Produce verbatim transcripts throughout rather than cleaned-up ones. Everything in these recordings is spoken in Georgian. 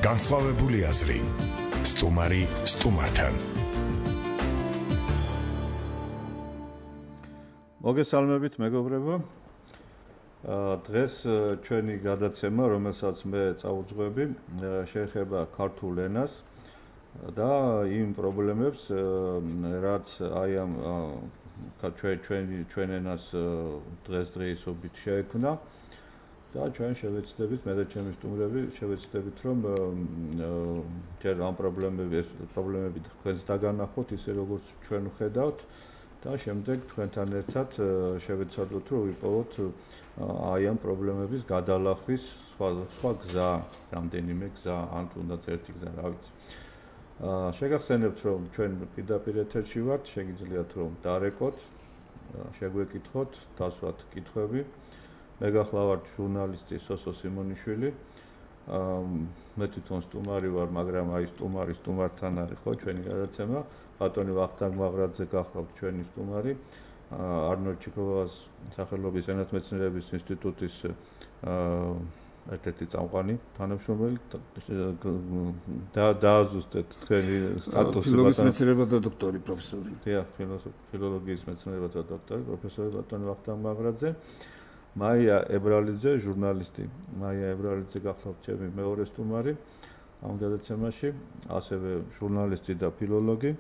განსხვავებული აზრი. სტუმარი სტუმართან. მოგესალმებით მეგობრებო. დღეს ჩვენი გადაცემა, რომელსაც მე წაუძღვები, შეეხება ქართულ ენას და იმ პრობლემებს, რაც აი ამ ჩვენი ჩვენ ენას დღესდღეობით შეექმნა და ჩვენ შევეცდებით, მე და ჩემი სტუმრები შევეცდებით, რომ ჯერ ამ პრობლემების პრობლემები თქვენს დაგანახოთ, ისე როგორც ჩვენ ვხედავთ და შემდეგ თქვენთან ერთად შევეცადოთ, რომ ვიპოვოთ აი ამ პრობლემების გადალახვის სხვა გზა, რამდენიმე გზა, ან თუნდაც ერთი გზა, რა ვიცი. შეგახსენებთ, რომ ჩვენ პირდაპირ ეთერში ვართ, შეგიძლიათ რომ დარეკოთ, შეგვეკითხოთ, დასვათ კითხვები. მე გახლავართ ჟურნალისტი სოსო სიმონიშვილი. მე თვითონ სტუმარი ვარ, მაგრამ აი სტუმარი სტუმართან არის ხო ჩვენი გადაცემა. ბატონი ვახტანგ მაღრაძე გახლავთ ჩვენი სტუმარი. არნოლდ ჩიქოვას სახელობის ენათმეცნიერების ინსტიტუტის ერთ-ერთი წამყვანი თანამშრომელი და დააზუსტეთ თქვენი სტატუსი ფილოლოგიის მეცნიერება და დოქტორი პროფესორი. დიახ, ფილოლოგიის მეცნიერება და დოქტორი პროფესორი ბატონი ვახტანგ მაღრაძე. მაია ებრალიძე, ჟურნალისტი. მაია ებრალიძე გახლავთ ჩემი მეორე სტუმარი ამ გადაცემაში, ასევე ჟურნალისტი და ფილოლოგი.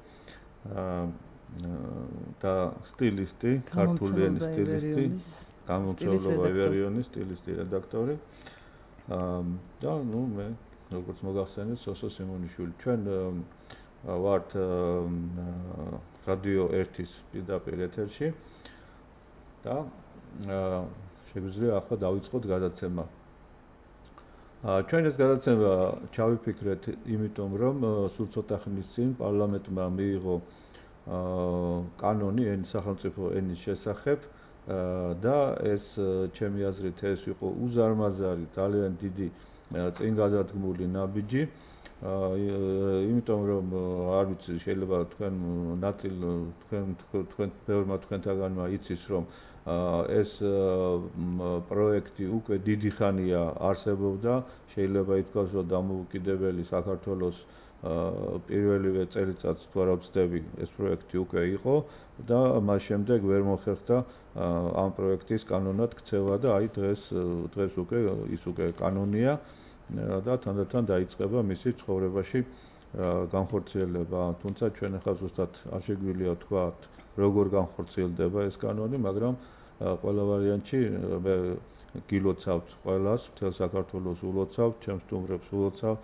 და სტილისტი, ქართული ენის სტილისტი, გამომცემლობა ვაივერიონის სტილისტი, რედაქტორი. და ნუ მე როგორც მოგახსენეთ, სოსო სიმონიშვილი. ჩვენ ვართ რადიო ერთის პირდაპირ ეთერში და შეგვიძლია ახლა დავიწყოთ გადაცემა. ჩვენ ეს გადაცემა ჩავიფიქრეთ, იმიტომ რომ სულ ცოტა ხნის წინ პარლამენტმა მიიღო კანონი ენის სახელმწიფო ენის შესახებ და ეს ჩემი აზრით ეს იყო უზარმაზარი, ძალიან დიდი წინ გადადგმული ნაბიჯი. იმიტომ რომ არ ვიცი, შეიძლება თქვენ ნაწილ თქვენ თქვენ ბევრმა თქვენთაგანმა იცის, რომ ეს პროექტი უკვე დიდი ხანია არსებობდა, შეიძლება ითქვას, რომ დამოუკიდებელი საქართველოს პირველივე წელიწადს თუ არა ვცდები, ეს პროექტი უკვე იყო და მას შემდეგ ვერ მოხერხდა ამ პროექტის კანონად ქცევა და აი დღეს დღეს უკვე ის უკვე კანონია და თანდათან დაიწყება მისი ცხოვრებაში განხორციელება. თუმცა ჩვენ ახლა ზუსტად არ შეგვიძლია თქვა, როგორ განხორციელდება ეს კანონი, მაგრამ ყველა ვარიანტში მე გილოცავთ ყველას, მთელ საქართველოს ულოცავთ, ჩემს სტუმრებს ულოცავ,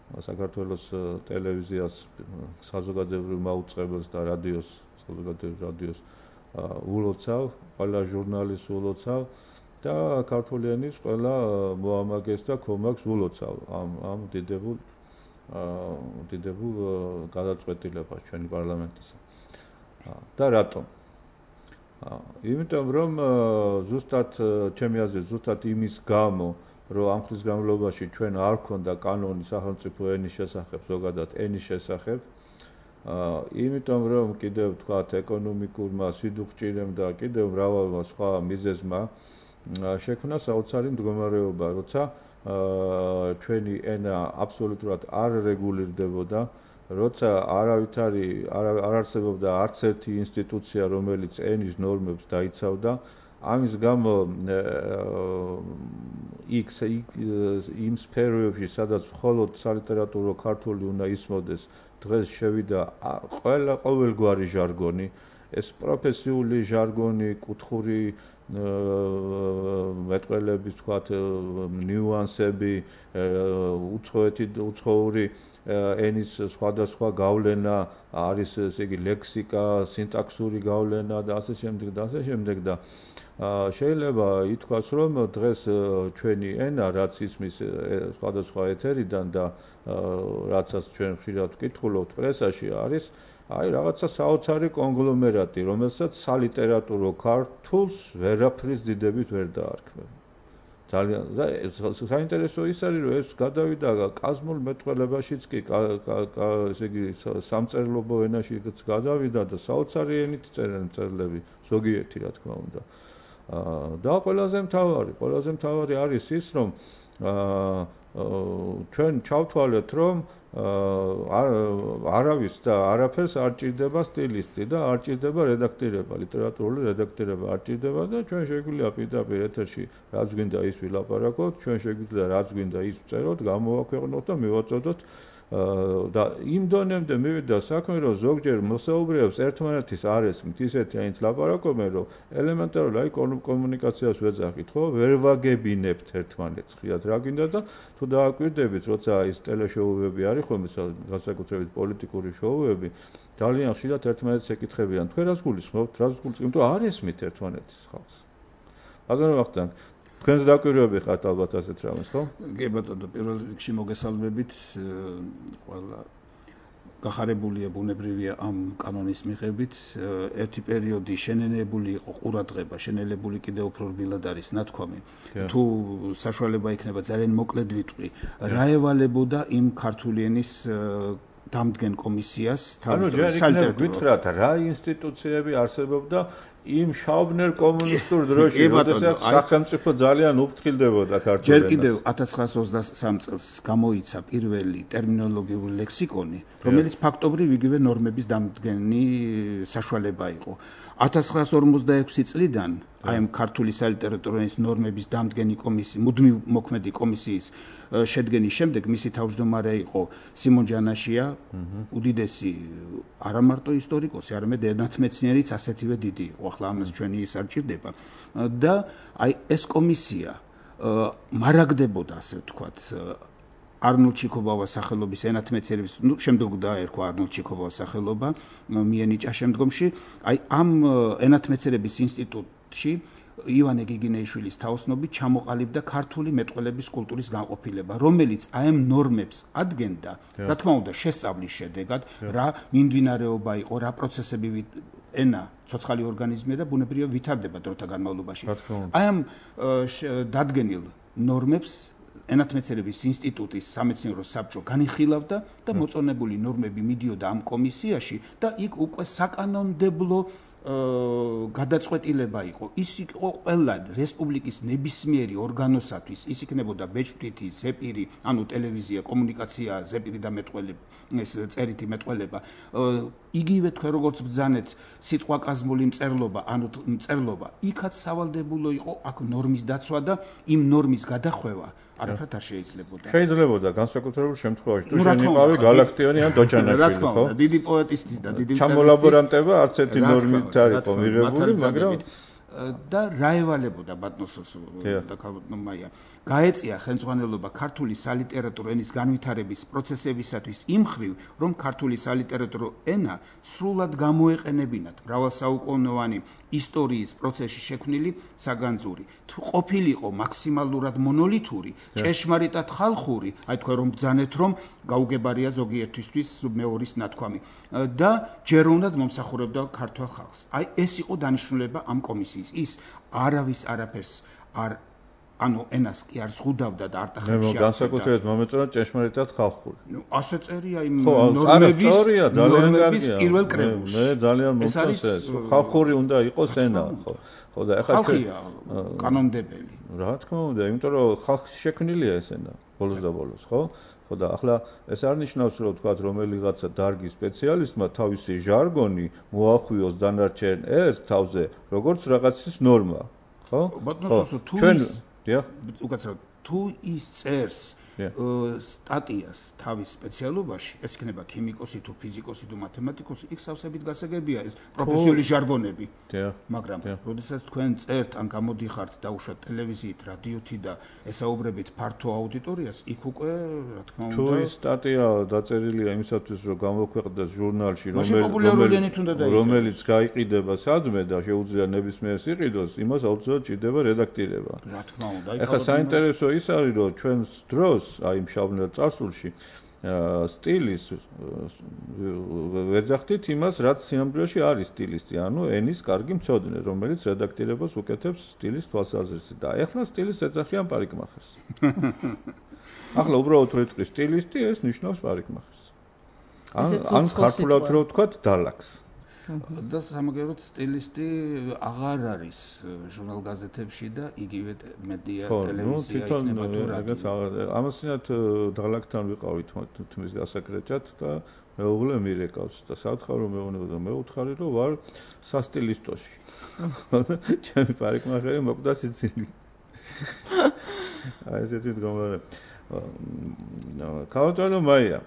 საქართველოს ტელევიზიას, საზოგადოებრივ მაუწყებელს და რადიოს, საზოგადოებრივ რადიოს ულოცავ, ყველა ჟურნალისტს ულოცავ და ქართული ენის ყველა მოამაგეს და კომაგს ულოცავ ამ ამ დიდებულ დიდებულ გადაწყვეტილებას ჩვენი პარლამენტისა. და რატომ? იმიტომ რომ ზუსტად ჩემი აზრით ზუსტად იმის გამო, რომ ამ ხნის განმავლობაში ჩვენ არ გქონდა კანონი სახელმწიფო ენის შესახებ, ზოგადად ენის შესახებ, იმიტომ რომ კიდევ თქვათ ეკონომიკურმა სიდუხჭირემ და კიდევ მრავალმა სხვა მიზეზმა შექმნა საოცარი მდგომარეობა, როცა ჩვენი ენა აბსოლუტურად არ რეგულირდებოდა, როცა არავითარი არ არსებობდა არც ერთი ინსტიტუცია, რომელიც ენის ნორმებს დაიცავდა. ამის გამო იქ იმ სფეროებში, სადაც მხოლოდ სალიტერატურო ქართული უნდა ისმოდეს, დღეს შევიდა ყველა ყოველგვარი ჟარგონი, ეს პროფესიული ჟარგონი, კუთხური მეტყველების თქვათ ნიუანსები, უცხოეთი უცხოური ენის სხვადასხვა გავლენა არის, ესე იგი ლექსიკა, სინტაქსური გავლენა და ასე შემდეგ და ასე შემდეგ და შეიძლება ითქვას, რომ დღეს ჩვენი ენა, რაც ისმის სხვადასხვა ეთერიდან და რაცაც ჩვენ ხშირად ვკითხულობთ პრესაში, არის აი რაღაცა საოცარი კონგლომერატი, რომელსაც სალიტერატურო ქართულს ვერაფრის დიდებით ვერ დაარქმევ. ძალიან და საინტერესო ის არის, რომ ეს გადავიდა კაზმულ მეტყველებაშიც კი, ესე იგი სამწერლობო ენაშიც გადავიდა და საოცარი ენით წერენ მწერლები, ზოგიერთი რა თქმა უნდა. და ყველაზე მთავარი, ყველაზე მთავარი არის ის, რომ ჩვენ ჩავთვალეთ, რომ არავის და არაფერს არ ჭირდება სტილისტი და არ ჭირდება რედაქტირება, ლიტერატურული რედაქტირება არ ჭირდება და ჩვენ შეგვიძლია პირდაპირ ეთერში რაც გვინდა ის ვილაპარაკოთ, ჩვენ შეგვიძლია რაც გვინდა ის ვწეროთ, გამოვაქვეყნოთ და მივაწოდოთ და იმ დონემდე მივიდა საქმე, რომ ზოგჯერ მოსაუბრეებს ერთმანეთის არ ესმით ისეთი აინც ლაპარაკობენ, რომ ელემენტარული აი კომუნიკაციას ვეძახით, ხო? ვერ ვაგებინებთ ერთმანეთს, ხიათ რა გინდა და თუ დააკვირდებით, როცა ის ტელეშოუები არის ხოლმე, განსაკუთრებით პოლიტიკური შოუები, ძალიან ხშირად ერთმანეთს ეკითხებიან, თქვენ რას გულისხმობთ, რას გულისხმობთ, იმიტომ არ ესმით ერთმანეთის ხალხს. ბატონო ვახტანგ, თქვენს დაკვირვები ხართ ალბათ ასეთ რამეს, ხო? კი ბატონო, პირველ რიგში მოგესალმებით, ყველა გახარებულია, ბუნებრივია ამ კანონის მიღებით. ერთი პერიოდი შენელებული იყო ყურადღება, შენელებული კიდევ უფრო რბილად არის ნათქვამი. თუ საშუალება იქნება ძალიან მოკლედ ვიტყვი, რა ევალებოდა იმ ქართული ენის დამდგენ კომისიას, ანუ ჯერ იქნებ გითხრათ, რა ინსტიტუციები არსებობდა იმ შავბნელ კომუნისტურ დროში, როდესაც სახელმწიფო ძალიან უფრთხილდებოდა ქართულ ენას. ჯერ კიდევ ათას ცხრაას ოცდასამ წელს გამოიცა პირველი ტერმინოლოგიური ლექსიკონი, რომელიც ფაქტობრივ იგივე ნორმების დამდგენი საშუალება იყო. ათას ცხრაას ორმოცდაექვსი წლიდან აი ამ ქართული სალიტერატურო ენის ნორმების დამდგენი კომისიის, მუდმივ მოქმედი კომისიის შედგენის შემდეგ მისი თავმჯდომარე იყო სიმონ ჯანაშია, უდიდესი არა მარტო ისტორიკოსი, არამედ ენათმეცნიერიც ასეთივე დიდი იყო. ახლა ამას ჩვენი ის არ ჭირდება და აი ეს კომისია მარაგდებოდა, ასე ვთქვათ, არნოლდ ჩიქობავას სახელობის ენათმეცნიერების, ნუ შემდეგ დაერქვა არნოლდ ჩიქობავას სახელობა, მიენიჭა შემდგომში, აი ამ ენათმეცნიერების ინსტიტუტში ივანე გიგინეიშვილის თაოსნობით ჩამოყალიბდა ქართული მეტყველების კულტურის განყოფილება, რომელიც აი ამ ნორმებს ადგენდა, რა თქმა უნდა, შესწავლის შედეგად, რა მიმდინარეობა იყო, რა პროცესები ენა ცოცხალი ორგანიზმია და ბუნებრივია ვითარდება დროთა განმავლობაში. აი ამ დადგენილ ნორმებს ენათმეცნიერების ინსტიტუტის სამეცნიერო საბჭო განიხილავდა და მოწონებული ნორმები მიდიოდა ამ კომისიაში და იქ უკვე საკანონმდებლო გადაწყვეტილება იყო. ის იყო ყველა რესპუბლიკის ნებისმიერი ორგანოსათვის, ის იქნებოდა ბეჭდვითი, ზეპირი, ანუ ტელევიზია, კომუნიკაცია, ზეპირი და მეტყველება, ეს წერითი მეტყველება. იგივე თქვენ როგორც ბრძანეთ, სიტყვაკაზმული მწერლობა, ანუ მწერლობა, იქაც სავალდებულო იყო აქ ნორმის დაცვა და იმ ნორმის გადახვევა არაფრად არ შეიძლებოდა. შეიძლებოდა განსაკუთრებულ შემთხვევაში, თუ შენიყავი გალაქტიონი ან დოჯანაშვილი, ხო? რა თქმა უნდა, დიდი პოეტისტის და დიდი ჩამოლაბორანტება არც ერთი ნორმით არ იყო მიღებული, მაგრამ და რა ევალებოდა ბატონსოს და ქალბატონ მაია. გაეწია ხელმძღვანელობა ქართული სალიტერატურო ენის განვითარების პროცესებისათვის იმ მხრივ, რომ ქართული სალიტერატურო ენა სრულად გამოეყენებინათ მრავალსაუკუნოვანი ისტორიის პროცესში შექმნილი საგანძური. თუ ყოფილიყო მაქსიმალურად მონოლითური, ჭეშმარიტად ხალხური, აი თქვენ რომ ბრძანეთ, რომ გაუგებარია ზოგიერთისთვის მეორის ნათქვამი და ჯეროვნად მომსახურებდა ქართულ ხალხს. აი ეს იყო დანიშნულება ამ კომისიის. ის არავის არაფერს არ ანუ ენას კი არ ზღუდავდა და არტახებში არ განსაკუთრებით მომეწონა ჭეშმარიტად ხალხური. ნუ ასე წერია იმ ნორმების ნორმების პირველ კრებულში. მე ძალიან მომწონს ეს. ხალხური უნდა იყოს ენა, ხო? ხო და ეხლა ხალხია კანონმდებელი. რა თქმა უნდა, იმიტომ რომ ხალხში შექმნილია ეს ენა ბოლოს და ბოლოს, ხო? ხო და ახლა ეს არ ნიშნავს, რომ თქვა რომელიღაცა დარგის სპეციალისტმა თავისი ჟარგონი მოახვიოს დანარჩენ ეს თავზე, როგორც რაღაცის ნორმა, ხო? ბატონო, თუ დიახ, უკაცრავად, თუ ის წერს სტატიას თავის სპეციალობაში, ეს იქნება ქიმიკოსი თუ ფიზიკოსი თუ მათემატიკოსი, იქ სავსებით გასაგებია ეს პროფესიული ჟარგონები. მაგრამ როდესაც თქვენ წერთ ან გამოდიხართ დაუშვათ ტელევიზიით, რადიოთი და ესაუბრებით ფართო აუდიტორიას, იქ უკვე რა თქმა უნდა თუ ის სტატია დაწერილია იმისათვის, რომ გამოქვეყნდეს ჟურნალში, რომელიც გაიყიდება სადმე და შეუძლია ნებისმიერს იყიდოს, იმას აუცილებლად ჭირდება რედაქტირება. რა თქმა უნდა, ეხლა საინტერესო ის არის, რომ ჩვენს დროს აი მშაბნელ წარსულში სტილის ვეძახდით იმას, რაც სინამდვილეში არის სტილისტი, ანუ ენის კარგი მცოდნე, რომელიც რედაქტირებას უკეთებს სტილის თვალსაზრისით. და ეხლა სტილის ეძახიან პარიკმახერს. ახლა უბრალოდ რო იტყვი სტილისტი, ეს ნიშნავს პარიკმახერს. ან ან ხართულად რო ვთქვათ, დალაქს. და სამაგეროთ სტილისტი აღარ არის ჟურნალ გაზეთებში და იგივე მედია ტელევიზია იქნება თუ რაღაც ამასინათ დაღლაკთან ვიყავით თმის გასაკრეჭად და მეუღლე მირეკავს და სათხარო მეუბნება და მე უთხარი რომ ვარ სასტილისტოში. ჩემი პარიკმახერი მოკვდა სიცილი. აი ესეთი მდგომარე. ქალბატონო მაია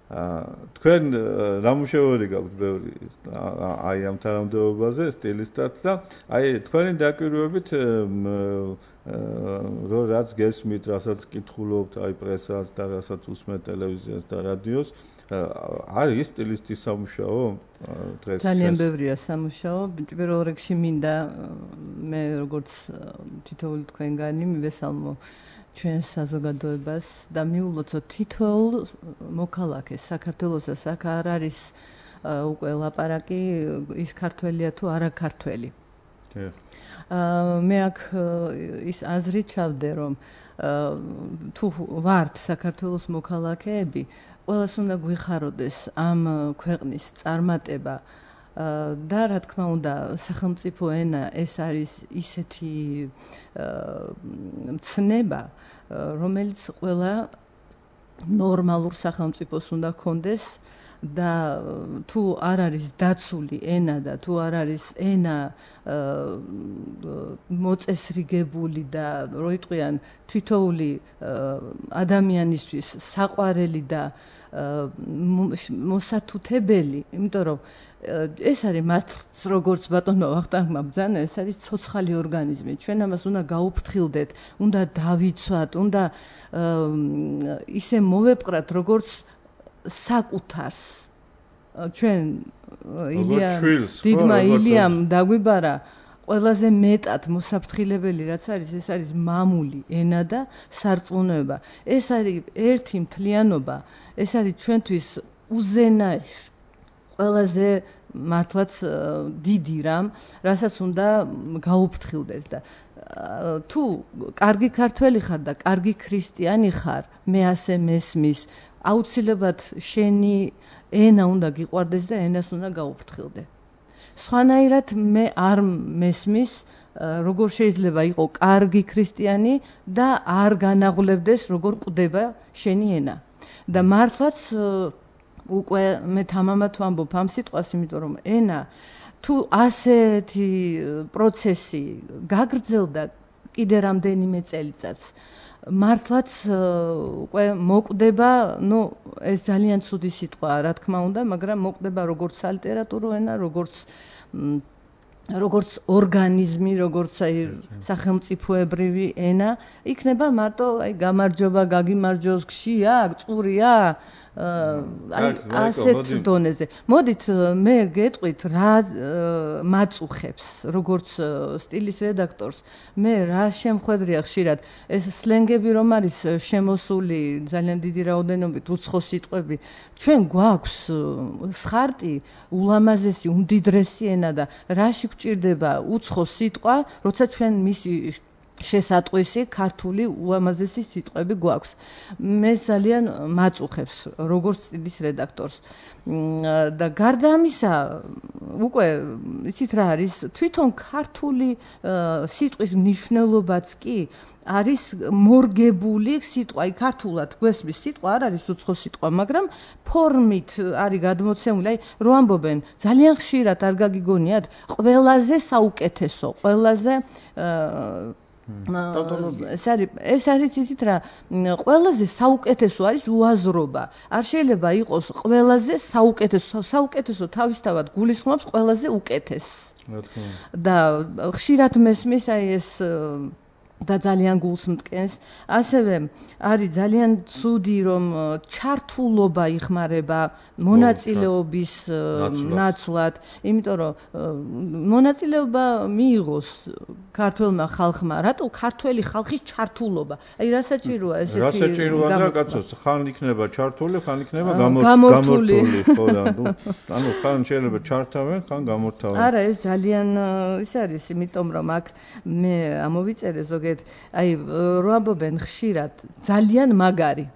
თქვენ რა მუშაობები გაქვთ ბევრი აი ამ თანამდებობაზე სტილისტად და აი თქვენი დაკვირვებით რო რაც გესმით, რასაც კითხულობთ აი პრესას და რასაც უსმენთ ტელევიზიას და რადიოს არის სტილისტის სამუშაო დღეს ძალიან ბევრია სამუშაო პირველ რიგში მინდა მე როგორც თითოეული თქვენგანი მივესალმო ჩვენ საზოგადოებას და მიულოცოთ თითოეულ მოქალაქეს საქართველოსა აქ არ არის უკვე ლაპარაკი ის ქართველია თუ არა ქართველი. მე აქ ის აზრი ჩავდე რომ თუ ვართ საქართველოს მოქალაქეები ყველას უნდა გვიხაროდეს ამ ქვეყნის წარმატება და რა თქმა უნდა სახელმწიფო ენა ეს არის ისეთი მცნება რომელიც ყველა ნორმალურ სახელმწიფოს უნდა ქონდეს და თუ არ არის დაცული ენა და თუ არ არის ენა მოწესრიგებული და რო იტყვიან თითოეული ადამიანისთვის საყვარელი და მოსათუთებელი, იმიტომ რომ ეს არის მართლაც როგორც ბატონმა ვახტანგმა ბრძანა, ეს არის ცოცხალი ორგანიზმი. ჩვენ ამას უნდა გაუფრთხილდეთ, უნდა დავიცვათ, უნდა ისე მოვეპყრათ როგორც საკუთარს. ჩვენ ილია დიდმა ილიამ დაგვიბარა ყველაზე მეტად მოსაფრთხილებელი რაც არის, ეს არის მამული ენა და სარწმუნოება. ეს არის ერთი მთლიანობა, ეს არის ჩვენთვის უზენაეს ყველაზე მართლაც დიდი რამ, რასაც უნდა გაუფრთხილდეთ და თუ კარგი ქართველი ხარ და კარგი ქრისტიანი ხარ, მე ასე მესმის, აუცილებლად შენი ენა უნდა გიყვარდეს და ენას უნდა გაუფრთხილდე. სხვანაირად მე არ მესმის, როგორ შეიძლება იყო კარგი ქრისტიანი და არ განაღლებდეს, როგორ კვდება შენი ენა. და მართლაც უკვე მე თამამად ვამბობ ამ სიტყვას, იმიტომ რომ ენა თუ ასეთი პროცესი გაგრძელდა კიდე რამდენიმე წელიწადს, მართლაც უკვე მოკვდება, ну, ეს ძალიან ცუდი სიტყვაა, რა თქმა უნდა, მაგრამ მოკვდება როგორც სალიტერატურო ენა, როგორც როგორც ორგანიზმი, როგორც აი სახელმწიფოებრივი ენა, იქნება მარტო აი გამარჯობა, გაგიმარჯოს, გშია, წურია, აი ასეთ დონეზე. მოდით მე გეტყვით რა მაწუხებს, როგორც სტილის რედაქტორს, მე რა შემხედრია ხშირად ეს სლენგები რომ არის შემოსული ძალიან დიდი რაოდენობით უცხო სიტყვები. ჩვენ გვაქვს სხარტი ულამაზესი, უმდიდრესი ენა და რაში გვჭირდება უცხო სიტყვა, როცა ჩვენ მისი შესატყვისი ქართული უამაზესი სიტყვები გვაქვს. მე ძალიან მაწუხებს როგორც სტილის რედაქტორს. და გარდა ამისა, უკვე იცით რა არის, თვითონ ქართული სიტყვის მნიშვნელობაც კი არის მორგებული სიტყვა, აი ქართულად გვესმის სიტყვა არ არის უცხო სიტყვა, მაგრამ ფორმით არის გადმოცემული, აი რო ამბობენ, ძალიან ხშირად არ გაგიგონიათ, ყველაზე საუკეთესო, ყველაზე ეს არის ეს არის იცით რა, ყველაზე საუკეთესო არის უაზრობა. არ შეიძლება იყოს ყველაზე საუკეთესო, საუკეთესო თავისთავად გულისხმობს ყველაზე უკეთეს. და ხშირად მესმის აი ეს და ძალიან გულს მტკენს. ასევე არის ძალიან ცუდი რომ ჩართულობა იხმარება მონაწილეობის ნაცვლად, იმიტომ რომ მონაწილეობა მიიღოს ქართველმა ხალხმა, რატო ქართველი ხალხის ჩართულობა? აი რა საჭიროა ესეთი? რა საჭიროა და კაცოს ხან იქნება ჩართული, ხან იქნება გამორთული, ხო და ანუ ხან შეიძლება ჩართავენ, ხან გამორთავენ. არა, ეს ძალიან ის არის, იმიტომ რომ აქ მე ამოვიწერე ზოგადად, აი რო ამბობენ ხშირად ძალიან მაგარი.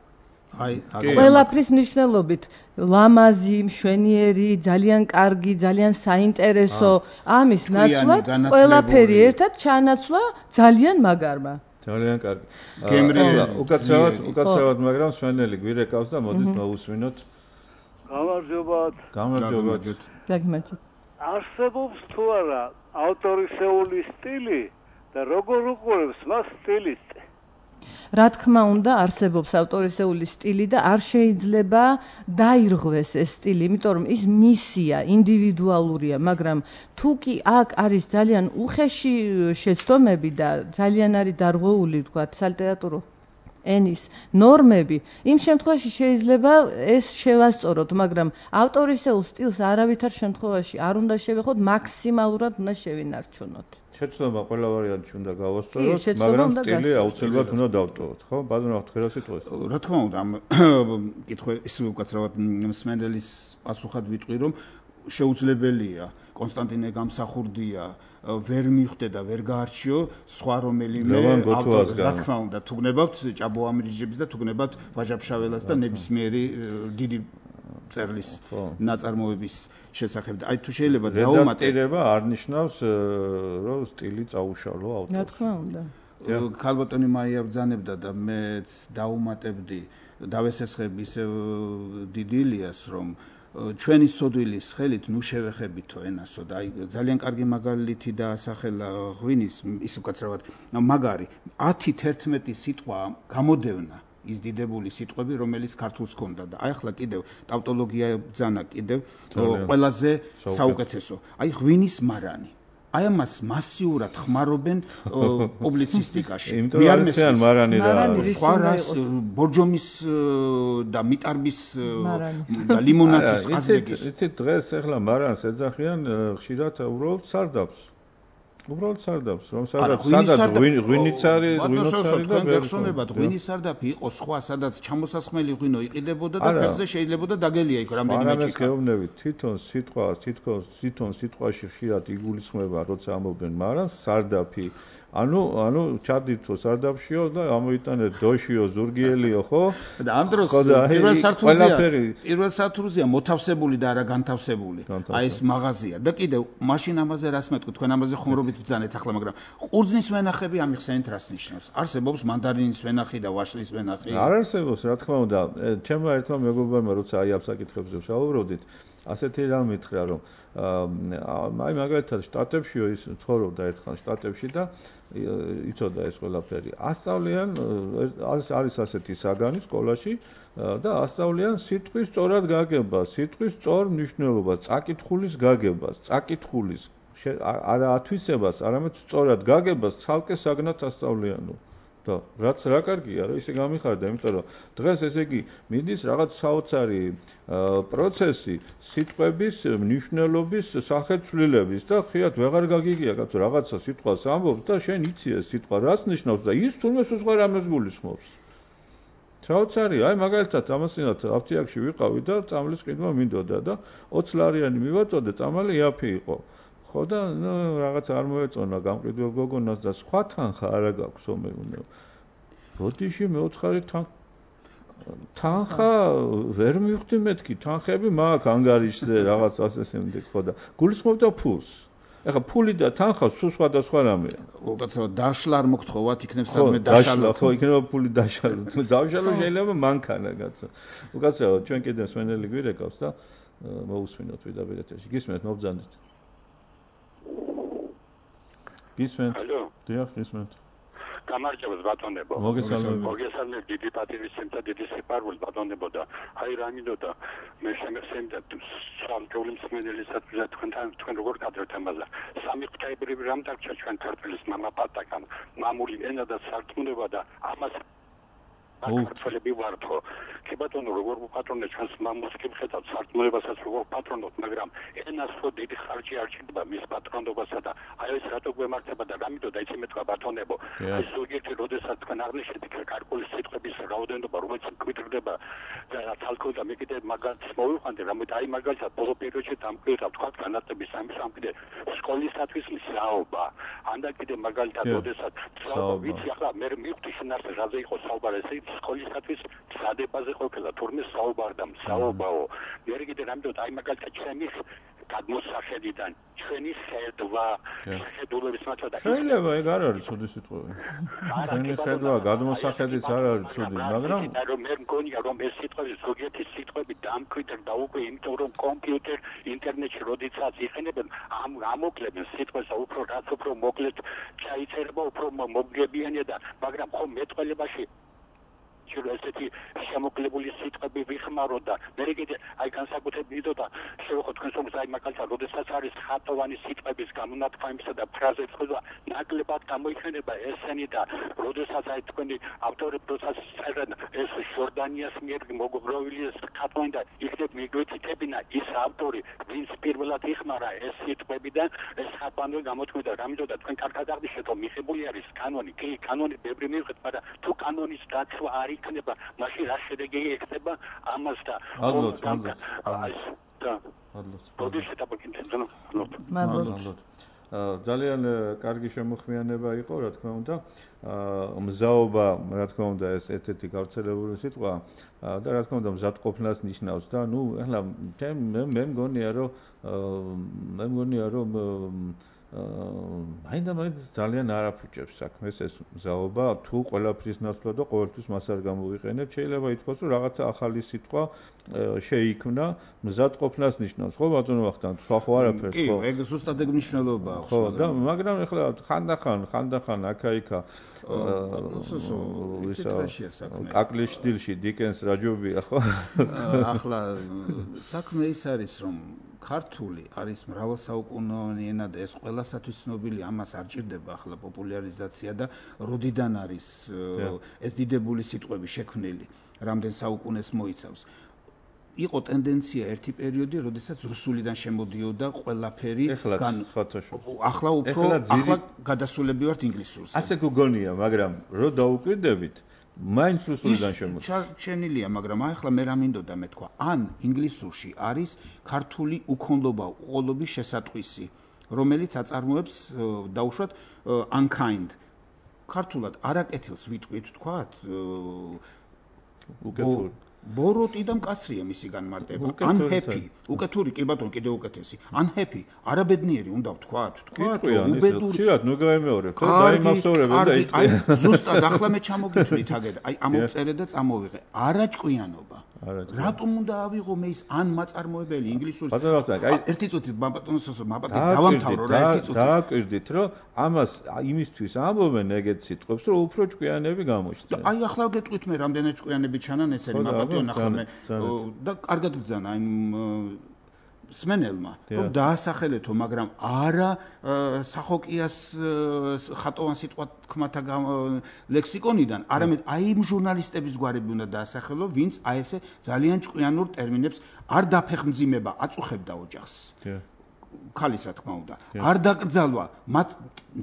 აი, ყველაფრის მნიშვნელობით ლამაზი, მშვენიერი, ძალიან კარგი, ძალიან საინტერესო ამის ნაცვლად ყველაფერი ერთად ჩანაცვლა ძალიან მაგარმა. ძალიან კარგი. გემრი უკაცრავად, უკაცრავად, მაგრამ სვენელი გვირეკავს და მოდით მოусვინოთ. გამარჯობათ. გამარჯობათ. გაგიმართეთ. არსებობს თუ არა ავტორისეული სტილი და როგორ უყურებს მას სტილისტი? რა თქმა უნდა, არსებობს ავტორისეული სტილი და არ შეიძლება დაირღვეს ეს სტილი, იმიტომ რომ ის მისია, ინდივიდუალურია, მაგრამ თუ კი აქ არის ძალიან უხეში შეცდომები და ძალიან არის დარღვეული, ვთქვათ, სალიტერატურო ენის ნორმები, იმ შემთხვევაში შეიძლება ეს შევასწოროთ, მაგრამ ავტორისეულ სტილს არავითარ შემთხვევაში არ უნდა შევეხოთ, მაქსიმალურად უნდა შევინარჩუნოთ. შეცდომა ყველა ვარიანტში უნდა გავასწოროთ, მაგრამ სტილი აუცილებლად უნდა დავტოვოთ, ხო? ბატონო, თქვენ რა სიტყვით? რა თქმა უნდა, ამ კითხვა ისე უკაცრავად მსმენელის პასუხად ვიტყვი, რომ შეუძლებელია კონსტანტინე გამსახურდია ვერ მიხვდე და ვერ გაარჩიო სხვა რომელიმე ავტორი. რა თქმა უნდა, თუ გნებავთ ჭაბო ამირიჯების და თუ გნებავთ ვაჟა-ფშაველას და ნებისმიერი დიდი წერლის ნაწარმოების შესახებ. აი თუ შეიძლება დაუმატე რედაქტირება არ ნიშნავს რომ სტილი წაუშალო ავტორს. რა თქმა უნდა. ქალბატონი მაია ბძანებდა და მეც დაუმატებდი დავესესხები ისე დიდი ილიას რომ ჩვენი სოდვილის ხელით ნუ შევეხებითო ენასო და აი ძალიან კარგი მაგალითი დაასახელა ღვინის ის უკაცრავად მაგარი ათი თერთმეტი სიტყვა გამოდევნა ის დიდებული სიტყვები რომელიც ქართულს ჰქონდა და აი ახლა კიდევ ტავტოლოგია ბძანა კიდევ ყველაზე საუკეთესო აი ღვინის მარანი აი ამას მასიურად ხმარობენ პუბლიცისტიკაში. მე არ მესმიან მარანი რა. სხვა რას ბორჯომის და მიტარბის და ლიმონადის ყაზრიკის. იცით დღეს ახლა მარანს ეძახიან ხშირად უბრალოდ სარდაფს. უბრალოდ სარდაფს, რომ სადაც სადაც ღვინიც არის, ღვინოც არის და გახსოვებათ ღვინის სარდაფი იყო სხვა, სადაც ჩამოსასხმელი ღვინო იყიდებოდა და ფეხზე შეიძლებოდა დაგელია იქ რამდენიმე ჭიქა. არა, გეუბნებით, თვითონ სიტყვა, თითქოს თვითონ სიტყვაში ხშირად იგულისხმება, როცა ამობენ მარანს, სარდაფი. ანუ ანუ ჩადითო სარდაფშიო და ამოიტანეთ დოშიო, ზურგიელიო, ხო? და ამ დროს პირველ სართულზეა, პირველ სართულზეა მოთავსებული და არა განთავსებული. აი ეს მაღაზია და კიდევ მაშინ ამაზე რას მეტყვი, თქვენ ამაზე ხუმრობით ბძანეთ ახლა, მაგრამ ყურძნის ვენახები ამიხსენით რას ნიშნავს? არსებობს მანდარინის ვენახი და ვაშლის ვენახი? არ არსებობს, რა თქმა უნდა. ჩემმა ერთმა მეგობარმა როცა აი ამ საკითხებზე ვსაუბრობდით, ასეთი რამ მითხრა, რომ აი მაგალითად შტატებშიო ის ცხოვრობდა ერთხელ შტატებში და იცოდა ეს ყველაფერი. ასწავლიან არის ასეთი საგანი სკოლაში და ასწავლიან სიტყვის სწორად გაგებას, სიტყვის სწორ მნიშვნელობას, წაკითხulis გაგებას, წაკითხulis არა ათვისებას, არამედ სწორად გაგებას ცალკე საგნად ასწავლიანო. და რაც რა კარგია, რომ ისე გამიხარდა, იმიტომ რომ დღეს ესე იგი მიდის რაღაც საოცარი პროცესი სიტყვების მნიშვნელობის სახეცვლილების და ხიათ ვეღარ გაგიგია კაცო რაღაცა სიტყვას ამბობს და შენ იცი ეს სიტყვა რას ნიშნავს და ის თუნდაც სხვა რამეს გულისხმობს. საოცარია, აი მაგალითად ამასინათ აფთიაქში ვიყავი და წამლის ყიდვა მინდოდა და ოცი ლარიანი მივაწოდე, წამალი იაფი იყო. ხო და ნუ რაღაც არ მოეწონა გამყიდველ გოგონას და სხვა თანხა არა გაქვს ომეუნე. ბოდიში მეოცხარი თან თანხა ვერ მივხვდი მეთქი, თანხები მაქვს ანგარიშზე რაღაც ასე შემდეგ ხო და გულისხმობდა ფულს. ეხლა ფული და თანხა სულ სხვადასხვა რამეა. უკაცრავად დაშლა არ მოგთხოვათ, იქნებ სადმე დაშალა. ხო, იქნება ფული დაშალა. დავშალო შეიძლება მანქანა კაცო. უკაცრავად ჩვენ კიდევ სვენელი გვირეკავს და მოусვინოთ ვიდაბერ ეთერში. გისმენთ მობძანდით. გისმენთ. ალო. დიახ, გისმენთ. გამარჯობათ ბატონებო. მოგესალმებით. მოგესალმებით დიდი პატივისცემთა დიდი სიყვარული ბატონებო და აი რა მინდოდა მე შემეხსენდა სამჯოლი მსმენელისაც თქვენთან თქვენ როგორ გადავთ ამაზე. სამი ღვთაებრივი რამ დარჩა ჩვენ ქართლის მამაპატაკამ მამული ენა და სარწმუნოება და ამას ქართველები ვართო. კი ბატონო როგორ ვუპატრონე ჩვენს მამულს კი ვხედავთ სარწმუნოებასაც როგორ პატრონობთ, მაგრამ ენას ხო დიდი ხარჯი არ ჭირდება მის პატრონობასა და აი ეს რატო გვემართება და გამიდოდა იცი მეთქვა ბატონებო. აი ზოგიერთი როდესაც თქვენ აღნიშნეთ იქ კარკულის სიტყვების რაოდენობა რომელიც მკვიდრდება და თალკო და მე კიდე მაგალითს მოვიყვანდი რამოდი აი მაგალითად ბოლო პერიოდში დამკვიდრდა თქვა განათლების სამის ამ კიდე სკოლისათვის მსაობა. ანდა კიდე მაგალითად როდესაც ვიცი ახლა მე მივხვდი შენ ასე რაზე იყო საუბარი ესე სკოლისათვის სადებაზე ყოფილა თურმე საუბარდა საუბაო მე კიდე რამდენად აი მაგალითად ჩემი გადმოსახედიდან ჩვენი ხედვა შეხედულების მართლა შეიძლება ეგ არ არის ცუდი სიტყვები ჩვენი ხედვა გადმოსახედიც არ არის ცუდი მაგრამ მე მგონია რომ ეს სიტყვები ზოგიერთი სიტყვები დამკვიდრდა უკვე იმიტომ რომ კომპიუტერ ინტერნეტში როდესაც იყენებენ ამ ამოკლებენ სიტყვას უფრო რაც უფრო მოკლედ ჩაიწერება უფრო მოგებიანია და მაგრამ ხომ მეტყველებაში შეიძლება ესეთი შემოკლებული სიტყვები ვიხმარო და მე კიდე აი განსაკუთრებით და შევეხო თქვენს რომ აი მაგალითად როდესაც არის ხატოვანი სიტყვების გამონათქვამისა და ფრაზების ხდება ნაკლებად გამოიხმება ესენი და როდესაც აი თქვენი ავტორები პროცესს წერენ ეს ჟორდანიას მიერ მოგროვილი ეს ხატოვანი და იქნებ მიგვეთითებინა ის ავტორი ვინც პირველად იხმარა ეს სიტყვები და ეს ხატოვანი გამოთქმედა რამეთო და თქვენ კარგად აღნიშნეთ რომ მიღებული არის კანონი კი კანონი ბევრი მივიღეთ მაგრამ თუ კანონის დაცვა არის იქნება მაშინ რა შედეგი იქნება ამას და ალბათ ალბათ და პროდუცენტ აპოკინტენზონო მადლობა ძალიან კარგი შემოხმიანება იყო რა თქმა უნდა მზაობა რა თქმა უნდა ეს ერთ-ერთი გავრცელებული სიტყვა და რა თქმა უნდა მზადყოფნას ნიშნავს და ნუ ახლა მე მგონია რომ მე მგონია რომ მაინდა მაინც ძალიან არაფუჭებს საქმეს ეს მზაობა თუ ყველაფრის ნაცვლად და ყოველთვის მას არ გამოვიყენებ შეიძლება ითქვას რომ რაღაცა ახალი სიტყვა შეიქმნა მზადყოფნას ნიშნავს ხო ბატონო ვახტანგ სხვა ხო არაფერს ხო კი ეგ ზუსტად ეგ მნიშვნელობა აქვს ხო და მაგრამ ახლა ხანდახან ხანდახან აქა-იქა კაკლის სტილში დიკენს რაჯობია ხო ახლა საქმე ის არის რომ ქართული არის მრავალსაუკუნოვანი ენა და ეს ყველასათვის ცნობილი ამას არ ჭირდება ახლა პოპულარიზაცია და როდიდან არის ეს დიდებული სიტყვები შექმნილი რამდენ საუკუნეს მოიცავს იყო ტენდენცია ერთი პერიოდი როდესაც რუსულიდან შემოდიოდა ყველაფერი ახლა უფრო ახლა გადასულები ვართ ინგლისურს ასე გგონია მაგრამ რო დაუკვირდებით მაინც რუსულიდან შემოდის. ჩარჩენილია, მაგრამ ახლა მე რა მინდოდა მე თქვა, ან ინგლისურში არის ქართული უქონლობა, უყოლობის შესატყვისი, რომელიც აწარმოებს დაუშვათ unkind. ქართულად არაკეთილს ვიტყვით თქვათ უკეთური. ბოროტი და მკაცრია მისი განმარტება. unhappy, უკეთური კი ბატონო კიდე უკეთესი. unhappy, არაბედნიერი უნდა ვთქვათ, თქვათ, უბედური. ხშირად ნუ გაიმეორებ, ხო, დაიმახსოვრებ და აი ზუსტად ახლა მე ჩამოგითვლით აგერ, აი ამოვწერე და წამოვიღე. არაჭკვიანობა. რატომ უნდა ავიღო მე ის ან მაწარმოებელი ინგლისურის აი ერთი წუთით ბატონოს მაპატი დავამთავრო რა ერთი წუთით დააკვირდით რომ ამას იმისთვის ამბობენ ეგეთ სიტყვებს რომ უფრო ჭკვიანები გამოჩნდნენ აი ახლა გეტყვით მე რამდენად ჭკვიანები ჩანან ესენი მაპატიო ნახე მე და კარგად ბძანა იმ სმენელმა რომ დაასახელეთო მაგრამ არა სახოკიას ხატოვან სიტყვა თქმათა ლექსიკონიდან არამედ აი იმ ჟურნალისტების გვარები უნდა დაასახელო ვინც აი ესე ძალიან ჭკვიანურ ტერმინებს არ დაფეხმძიმება აწუხებდა ოჯახს ქალის რა თქმა უნდა არ დაკრძალვა მათ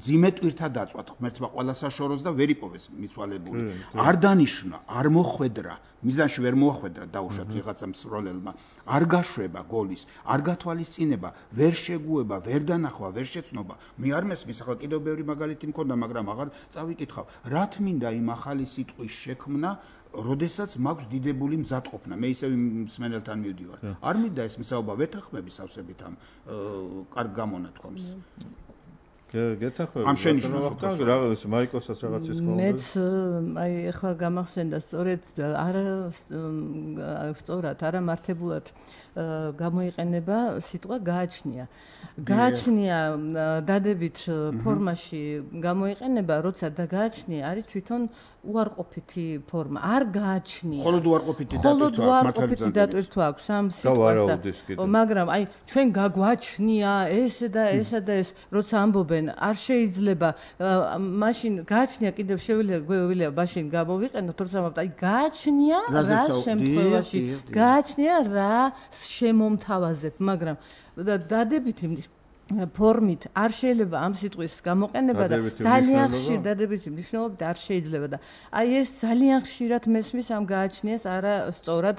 ძიმე ტვირთა დაწვა ღმერთმა ყველა საშოროს და ვერ იპოვეს მიცვალებული არ დანიშნა არ მოხვედრა მიზანში ვერ მოხვედრა დაუშვათ ვიღაცა მსროლელმა არ გაშვება გოლის არ გათვალისწინება ვერ შეგუება ვერ დანახვა ვერ შეცნობა მე არ მესმის ახლა კიდევ ბევრი მაგალითი მქონდა მაგრამ აღარ წავიკითხავ რა თმინდა იმ ახალი სიტყვის შექმნა როდესაც მაქვს დიდებული მზადყოფნა მე ისევ მსმენელთან მივდივარ არ მინდა ეს მსაუბა ვეთანხმები სავსებით ამ კარგ გამონათქვამს გეთანხმები ამ შენიშნავს რაღაც მაიკოსაც რაღაც ის ხომ მეც აი ახლა გამახსენდა სწორედ არა სწორად არა მართებულად გამოიყენება სიტყვა გააჩნია გააჩნია დადებით ფორმაში გამოიყენება როცა და გააჩნია არის თვითონ უარყოფითი ფორმა არ გააჩნია მხოლოდ უარყოფითი დატვირთვა აქვს ამ სიტყვას და მაგრამ აი ჩვენ გაგვაჩნია ესე და ესა და ეს როცა ამბობენ არ შეიძლება მაშინ გააჩნია კიდევ შეგვიძლია მაშინ გამოვიყენოთ როცა ამბობთ აი გააჩნია რა შემთხვევაში გააჩნია რა შემომთავაზებ მაგრამ დადებითი ფორმით არ შეიძლება ამ სიტყვის გამოყენება და ძალიან ხშირ დადებითი მნიშვნელობით არ შეიძლება და აი ეს ძალიან ხშირად მესმის ამ გააჩნიას არა სწორად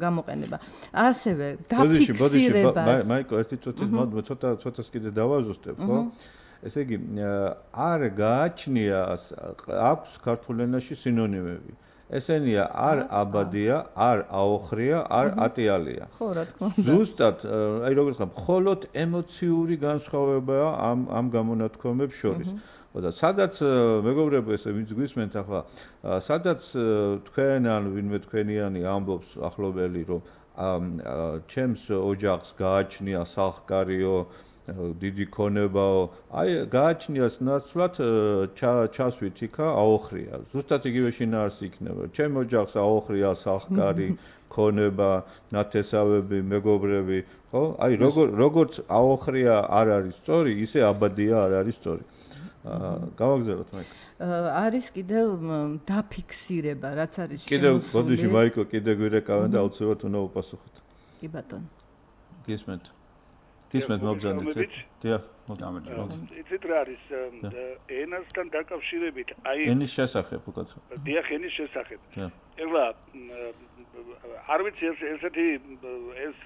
გამოყენება ასევე დაფიქსირება მაიკო ერთი წუთი ცოტა ცოტას კიდე დავაზუსტებ ხო ესე იგი არ გააჩნიას აქვს ქართულ ენაში სინონიმები ესენია არ აბადია, არ აოხრია, არ ატიალია. ხო, რა თქმა უნდა. ზუსტად, აი როგორც ვთქვა, მხოლოდ ემოციური განსხვავებაა ამ ამ გამონათქვამებს შორის. და სადაც მეგობრებო, ესე ვინც გვისმენთ ახლა, სადაც თქვენ ან ვინმე თქვენიანი ამბობს ახლობელი, რომ ჩემს ოჯახს გააჩნია სახკარიო დიდი ქონებაო, აი გააჩნიას ნაცვლად ჩასვით იქა აოხრია. ზუსტად იგივე შინაარსი იქნება. ჩემ ოჯახს აოხრია სახკარი, ქონება, ნათესავები, მეგობრები, ხო? აი როგორც აოხრია არ არის სწორი, ისე აბადია არ არის სწორი. გავაგზავნოთ მაიკო. არის კიდევ დაფიქსირება, რაც არის შემოსული. კიდევ ბოდიში მაიკო, კიდევ გვირეკავენ და აუცილებლად უნდა უპასუხოთ. კი ბატონო. გისმენთ. გისმენთ მობრძანეთ. დიახ, გამარჯობა. იცით რა არის ენასთან დაკავშირებით, აი ენის შესახებ უკაცრავ. დიახ, ენის შესახებ. დიახ. ეხლა არ ვიცი ესეთი ეს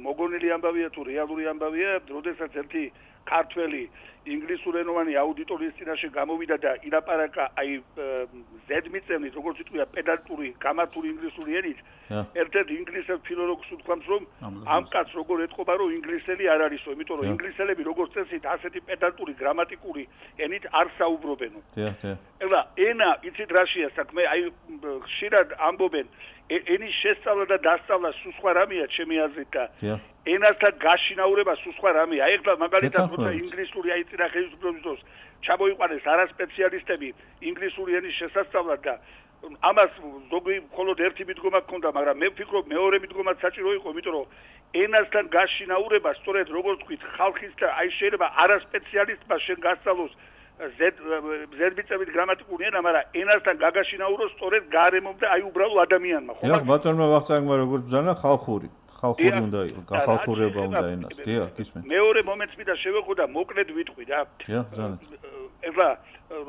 მოგონილი ამბავია თუ რეალური ამბავია, როდესაც ერთი ქართველი ინგლისურენოვანი აუდიტორიის წინაშე გამოვიდა და ილაპარაკა აი ზედმიწევნით, როგორც ვიტყვია, პედანტური, გამართული ინგლისური ენით, ერთ-ერთ ინგლისელ ფილოლოგს უთქვამს, რომ ამ კაცს როგორ ეთყობა, რომ ინგლისელი არ არისო, იმიტომ რომ ინგლისელები როგორც წესით ასეთი პედანტური, გრამატიკული ენით არ საუბრობენო. ეხლა ენა, იცით რაშია საქმე, აი ხშირად ამბობენ ენის შესწავლა და დასწავლა სულ სხვა რამეა ჩემი აზრით და ენასთან გაშინაურება სულ სხვა რამეა. ეხლა მაგალითად როცა ინგლისური აი წინა ხელისუფლების დროს ჩამოიყვანეს არასპეციალისტები ინგლისური ენის შესასწავლად და ამას ზოგი მხოლოდ ერთი მიდგომა ჰქონდა, მაგრამ მე ვფიქრობ მეორე მიდგომაც საჭირო იყო, იმიტომ რომ ენასთან გაშინაურება სწორედ როგორც ვთქვით, ხალხის და აი შეიძლება არასპეციალისტმა შენ გასწავლოს ზედმიწევნით გრამატიკული ენა, მაგრამ ენასთან გაგაშინაუროს სწორედ გარემომ და აი უბრალოდ ადამიანმა, ხო? დიახ, ბატონმა ვახტანგმა როგორც ბრძანა ხალხური, ხალხური უნდა იყოს, ხალხურება უნდა ენას. დიახ, გისმენთ. მეორე მომენტს მინდა შევეხო და მოკლედ ვიტყვი რა. დიახ, ბრძანეთ. ეხლა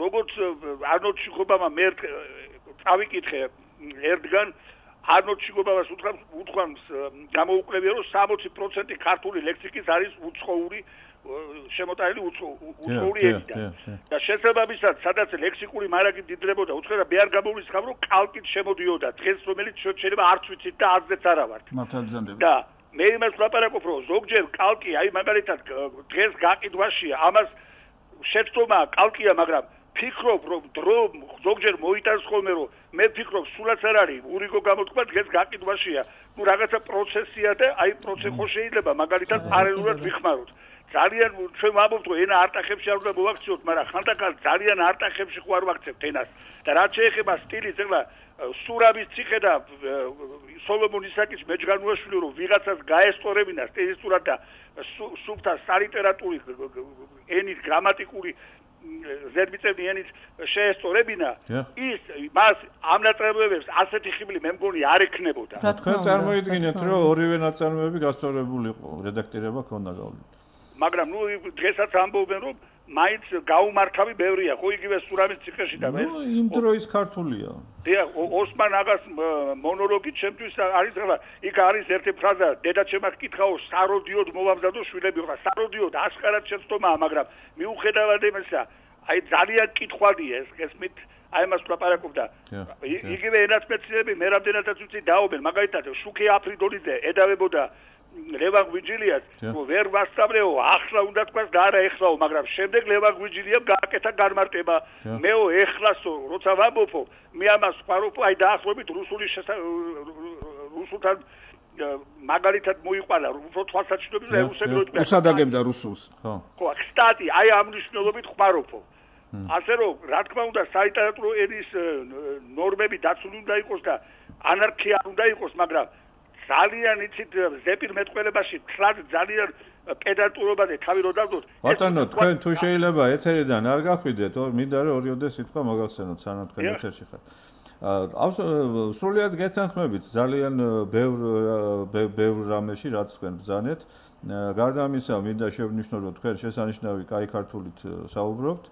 როგორც არნოლდ შიხობამა მე წავიკითხე ერთგან არნოლდ შიხობამას უთქვამს გამოუკლებია, რომ სამოცი პროცენტი ქართული ლექსიკის არის უცხოური შემოტანილი უცხოური ენიდან. და შესაბამისად, სადაც ლექსიკური მარაგი დიდრებოდა, უცხოა მე არ გამოვლისხავ, რომ კალკით შემოდიოდა დღეს, რომელიც შეიძლება არც ვიცით და აზრიც არა ვართ. და მე იმას ვლაპარაკობ, რომ ზოგჯერ კალკი, აი მაგალითად დღეს გაყიდვაშია, ამას შეცდომა კალკია, მაგრამ ფიქრობ, რომ დრო ზოგჯერ მოიტანს ხოლმე, რომ მე ფიქრობ, სულაც არ არის, ურიგო გამოთქვა დღეს გაყიდვაშია. ნუ რაღაცა პროცესია და აი პროცესი ხო შეიძლება მაგალითად პარალელურად ვიხმაროთ. ძალიან ჩვენ ვამბობთ, რომ ენა არტახებში არ უნდა მოვაქციოთ, მაგრამ ხანდახან ძალიან არტახებში ხო არ ვაქცევთ ენას. და რაც შეეხება სტილს, ეხლა სურავის ციხე და სოლომონ ისაკის მეჯგანუაშვილი, რომ ვიღაცას გაესწორებინა სტილისტურად და სუფთა სალიტერატური ენის გრამატიკული ზედმიწევნი ენით შეესწორებინა, ის მას ამ ნაწარმოებებს ასეთი ხიბლი მე მგონი არ ექნებოდა. თქვენ წარმოიდგინეთ, რომ ორივე ნაწარმოები გასწორებული იყო, რედაქტირება ქონდა გავლილი. მაგრამ ნუ დღესაც ამბობენ, რომ მაინც გაუმართავი ბევრია, ხო იგივე სურავის ციხეში და მე. ნუ იმ დროის ქართულია. დიახ, ოსმან აგას მონოლოგი ჩემთვის არის, ხლა, იქ არის ერთი ფრაზა, დედა ჩემმა გკითხაო, საროდიოდ მოვამზადო შვილები, ხლა, საროდიოდ ასკარად შეცდომაა, მაგრამ მიუხედავად იმისა, აი ძალიან კითხვადია ეს, ესმით, აი მას ვლაპარაკობდა. იგივე ენათმეცნიერები მე რამდენადაც ვიცი დაობენ, მაგალითად, შუქი აფრიდოლიძე ედავებოდა ლევან გვიჯილიას, რომ ვერ ვასწავლეო, ახლა უნდა თქვას და არა ეხლაო, მაგრამ შემდეგ ლევან გვიჯილიამ გააკეთა განმარტება. მეო ეხლასო, როცა ვამბობო, მე ამას ვყავრობ, აი დაახლოებით რუსული რუსულთან მაგალითად მოიყვანა, უფრო თვალსაჩინოები და უსაგროდ უსადაგებდა რუსულს. ხო. ხო, სტატი, აი ამ მნიშვნელობით ვყავრობო. ასე რომ, რა თქმა უნდა, სალიტერატურო ენის ნორმები დაცული უნდა იყოს და ანარქია უნდა იყოს, მაგრამ ძალიან იცით ზეპირ მეტყველებაში თლად ძალიან პედანტურობაზე თავი რო დავდოთ. ბატონო, თქვენ თუ შეიძლება ეთერიდან არ გახვიდეთ, მინდა რომ ორიოდე სიტყვა მოგახსენოთ, სანამ თქვენ ეთერში ხართ. სრულიად გეთანხმებით ძალიან ბევრ ბევრ რამეში, რაც თქვენ ბრძანეთ. გარდა ამისა, მინდა შევნიშნო, რომ თქვენ შესანიშნავი კაი ქართულით საუბრობთ.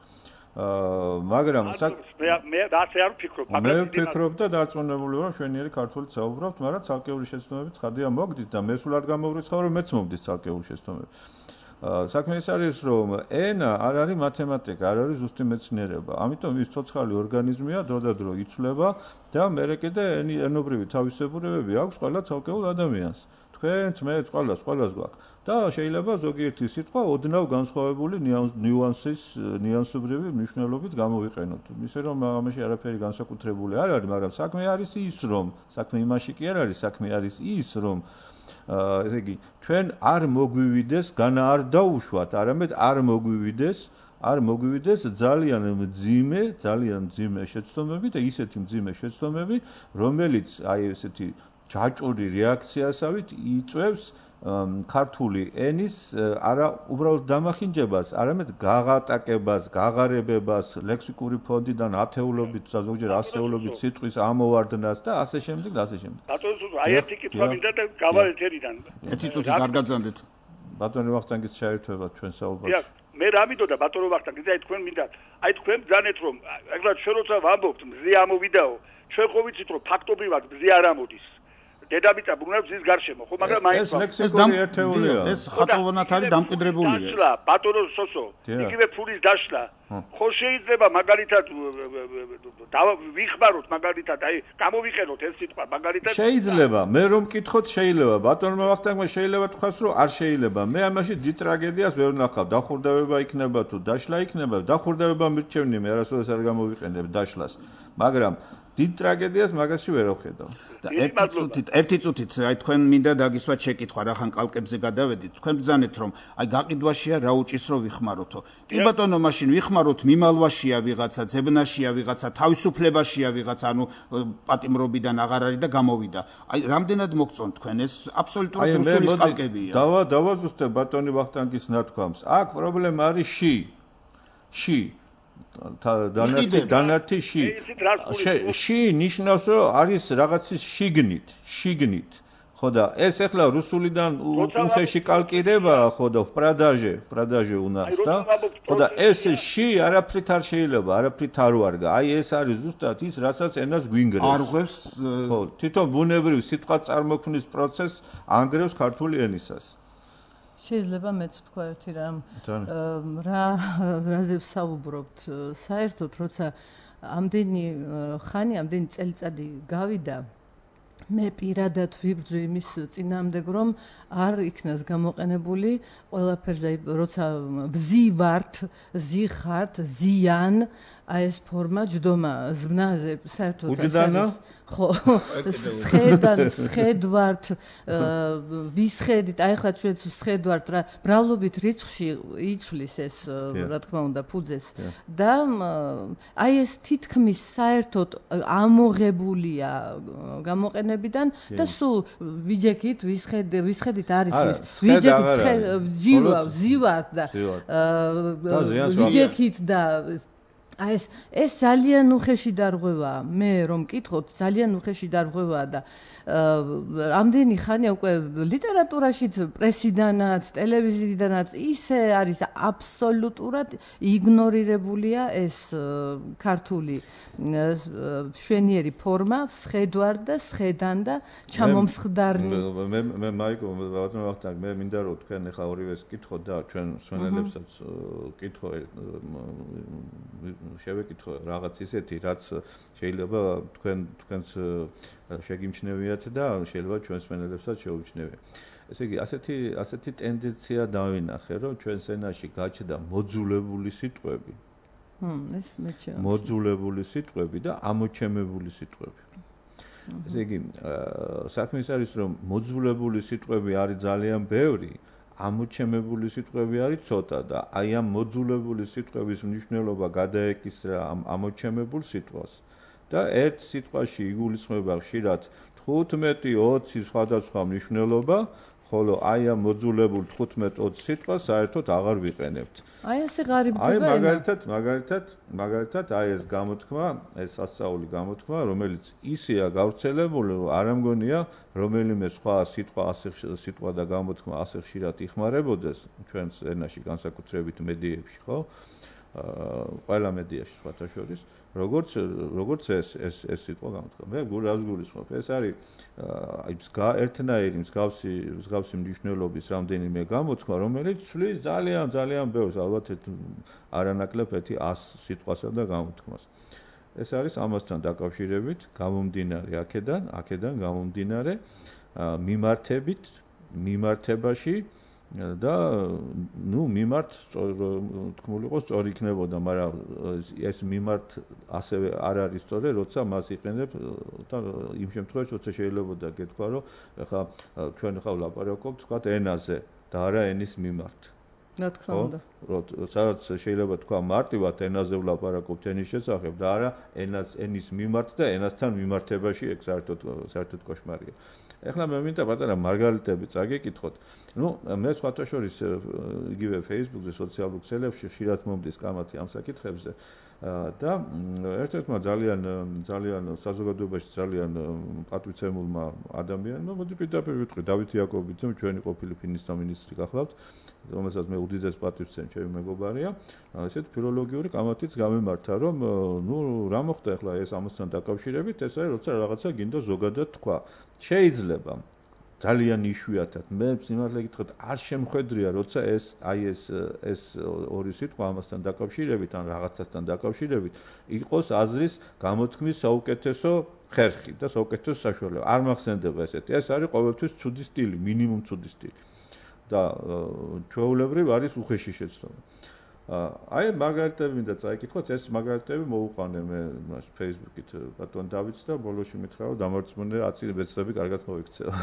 მაგრამ მე ასე არ ვფიქრობ, მაგრამ მე ვფიქრობ და დარწმუნებული ვარ, შვენიერი ქართულით საუბრობთ, მაგრამ ცალკეული შეცდომებით ხადია მოგდით და მე სულ არ გამოვრიცხავ, რომ მეც მომდის ცალკეული შეცდომები. საქმე ის არის, რომ ენა არ არის მათემატიკა, არ არის ზუსტი მეცნიერება. ამიტომ ის ცოცხალი ორგანიზმია, დროდადრო იცვლება და მერე კიდე ენობრივი თავისებურებები აქვს ყველა ცალკეულ ადამიანს. თქვენც, მეც, ყველას, ყველას გვაქვს. და შეიძლება ზოგიერთი სიტყვა ოდნავ განსხვავებული ნიუანსის, ნიუანსობრივი მნიშვნელობით გამოვიყენოთ. ისე რომ ამაში არაფერი განსაკუთრებული არ არის, მაგრამ საქმე არის ის, რომ საქმე იმაში კი არ არის, საქმე არის ის, რომ ესე იგი, ჩვენ არ მოგვივიდეს, განა არ დაუშვათ, არამედ არ მოგვივიდეს, არ მოგვივიდეს ძალიან მძიმე, ძალიან მძიმე შეცდომები და ისეთი მძიმე შეცდომები, რომელიც აი ესეთი ჯაჭვური რეაქციასავით იწვევს ქართული ენის არა უბრალოდ დამახინჯებას, არამედ გაღატაკებას, გაღარებებას, ლექსიკური ფონდიდან ათეულობით, ზოგჯერ ასეულობით სიტყვის ამოვარდნას და ასე შემდეგ და ასე შემდეგ. ბატონო, აი ერთი კითხვა მინდა და გავალეთ ერიდან. ერთი წუთი გარგაძანდეთ. ბატონო ვახტანგის შეერთება ჩვენ საუბარს. დიახ, მე რა მინდოდა ბატონო ვახტანგი, აი თქვენ მინდა, აი თქვენ ბძანეთ რომ ეგრეთ ჩვენ როცა ვამბობთ მზე ამოვიდაო, ჩვენ ხო ვიცით რომ ფაქტობრივად მზე არ ამოდის. დედამიწა ბრუნავს მზის გარშემო, ხო, მაგრამ მაინც ეს ლექსიკური ერთეულია. ეს ხატოვნად არის დამკვიდრებულია. დაშლა, ბატონო სოსო, იგივე ფულის დაშლა. ხო შეიძლება მაგალითად ვიხმაროთ მაგალითად, აი გამოვიყენოთ ეს სიტყვა მაგალითად. შეიძლება, მე რომ მკითხოთ შეიძლება, ბატონო ვახტანგმა შეიძლება თქვას რომ არ შეიძლება. მე ამაში დიდ ტრაგედიას ვერ ვნახავ. დახურდავება იქნება თუ დაშლა იქნება, დახურდავება მირჩევნი მე არასოდეს არ გამოვიყენებ დაშლას. მაგრამ დიდ ტრაგედიას მაგაში ვერ ვხედავ. და ერთი წუთით, ერთი წუთით, აი თქვენ მინდა დაგისვათ შეკითხვა, რახან კალკებზე გადავედით. თქვენ ბძანეთ რომ აი გაყიდვაშია რა უჭირს რომ ვიხმაროთო. კი ბატონო, მაშინ ვიხმაროთ, მიმალვაშია ვიღაცა, ძებნაშია ვიღაცა, თავისუფლებაშია ვიღაცა, ანუ პატიმრობიდან აღარ არის და გამოვიდა. აი რამდენად მოგწონთ თქვენ ეს აბსოლუტურად რუსულის კალკებია. დავა დავაზუსტებ ბატონი ვახტანგის ნათქვამს. აქ პრობლემა არის ში. ში დანართი დანართი ში ში ნიშნავს რომ არის რაღაცის შიგნით შიგნით ხო და ეს ახლა რუსულიდან უხეში კალკირება ხო და პრადაჟე პრადაჟე უნას და ხო და ეს ში არაფრით არ შეიძლება არაფრით არ ვარგა აი ეს არის ზუსტად ის რასაც ენას გვინგრევს არ ღვევს ხო თვითონ ბუნებრივ სიტყვა წარმოქმნის პროცესს ანგრევს ქართული ენისას შეიძლება მეც ვთქვა ერთი რამ რა რაზე ვსაუბრობთ საერთოდ როცა ამდენი ხანი ამდენი წელიწადი გავიდა მე პირადად ვიბრძვი იმის წინააღმდეგ რომ არ იქნას გამოყენებული ყველაფერზე როცა ვზივართ ზიხართ ზიან აი ეს ფორმა ჯდომა ზმნაზე საერთოდ უჯდანა ხო სხედან სხედვართ ვისხედით აი ხა ჩვენ სხედვართ რა ბრალობით რიცხვში იცვლის ეს რა თქმა უნდა ფუძეს და აი ეს თითქმის საერთოდ ამოღებულია გამოყენებიდან და სულ ვიჯექით ვისხედ ვისხედით არის ვიჯექით ვზივა ვზივართ და ვიჯექით და აი ეს ეს ძალიან უხეში დარღვევაა მე რომ მკითხოთ ძალიან უხეში დარღვევაა და ამდენი ხანია უკვე ლიტერატურაშიც პრესიდანაც ტელევიზიიდანაც ისე არის აბსოლუტურად იგნორირებულია ეს ქართული შვენიერი ფორმა სხედვარ და სხედან და ჩამომსხდარნი მე მე მაიკო ბატონო ვახტანგ მე მინდა რომ თქვენ ახლა ორივეს კითხოთ და ჩვენ მსმენელებსაც კითხო შევეკითხო რაღაც ისეთი რაც შეიძლება თქვენ თქვენს შეგიმჩნევიათ და შეიძლება ჩვენს მსმენელებსაც შეუჩნევიათ. ესე იგი, ასეთი ასეთი ტენდენცია დავინახე, რომ ჩვენს ენაში გაჩნდა მოძულებული სიტყვები. ჰმ, ეს მეჩვენა. მოძულებული სიტყვები და ამოჩემებული სიტყვები. ესე იგი, საქმე ის არის, რომ მოძულებული სიტყვები არის ძალიან ბევრი, ამოჩემებული სიტყვები არის ცოტა და აი ამ მოძულებული სიტყვების მნიშვნელობა გადაეკისრა ამ ამოჩემებულ სიტყვას. და ერთ სიტყვაში იგულისხმება ხშირად თხუთმეტი ოცი სხვადასხვა მნიშვნელობა, ხოლო აი ამ მოძულებულ თხუთმეტ ოცი სიტყვას საერთოდ აღარ ვიყენებთ. აი ესე ღარიბდება. აი მაგალითად, მაგალითად, მაგალითად აი ეს გამოთქმა, ეს ასწაული გამოთქმა, რომელიც ისეა გავრცელებული, რომ არ ამგონია რომელიმე სხვა სიტყვა ასე სიტყვა და გამოთქმა ასე ხშირად იხმარებოდეს ჩვენს ენაში განსაკუთრებით მედიებში, ხო? ყველა მედიაში სხვათა შორის როგორც როგორც ეს ეს ეს სიტყვა გამოთქვა. მე გულავს გულისხმობ. ეს არის აი ერთნაირი მსგავსი მსგავსი მნიშვნელობის რამდენიმე გამოთქვა, რომელიც ცვლის ძალიან ძალიან ბევრს, ალბათ არანაკლებ ერთი ას სიტყვასა და გამოთქმას. ეს არის ამასთან დაკავშირებით, გამომდინარე აქედან, აქედან გამომდინარე მიმართებით, მიმართებაში და ნუ მიმართ თქმული იყოს სწორი იქნებოდა, მაგრამ ეს მიმართ ასევე არ არის სწორი, როცა მას იყენებ და იმ შემთხვევაში როცა შეიძლება გეთქვა, რომ ახლა ჩვენ ახლა ვლაპარაკობთ თქვათ ენაზე და არა ენის მიმართ. რა თქმა უნდა. სადაც შეიძლება თქვა მარტივად ენაზე ვლაპარაკობთ ენის შესახებ და არა ენას ენის მიმართ და ენასთან მიმართებაში ეგ საერთოდ საერთოდ კოშმარია. ეხლა მე მინდა პატარა მარგალიტები წაგეკითხოთ. ნუ მე სხვათა შორის იგივე Facebook-ზე, სოციალურ ქსელებში ხშირად მომდის კამათი ამ საკითხებზე და ერთ-ერთმა ძალიან ძალიან საზოგადოებაში ძალიან პატვიცემულმა ადამიანმა მოდი პირდაპირ ვიტყვი დავით იაკობიძემ, ჩვენი ყოფილი ფინანსთა მინისტრი გახლავთ, რომელსაც მე უდიდეს პატივს ვცემ, ჩემი მეგობარია. ესეთ ფილოლოგიური კამათიც გამემართა, რომ ნუ რა მოხდა ახლა ეს ამასთან დაკავშირებით, ეს არის როცა რაღაცა გინდა ზოგადად თქვა. შეიძლება ძალიან იშვიათად მე სიმართლე გითხრათ არ შემხედრია როცა ეს აი ეს ეს ორი სიტყვა ამასთან დაკავშირებით ან რაღაცასთან დაკავშირებით იყოს აზრის გამოთქმის საუკეთესო ხერხი და საუკეთესო საშუალება არ მახსენდება ესეთი ეს არის ყოველთვის ცუდი სტილი მინიმუმ ცუდი სტილი და ჩვეულებრივ არის უხეში შეცდომა აი მარგალიტები მინდა წაიკითხოთ ეს მარგალიტები მოუყვანე მე მას Facebook-ით ბატონ დავითს და ბოლოში მითხრა რომ დამარცხებული ათი ვეცდები კარგად მოიქცევა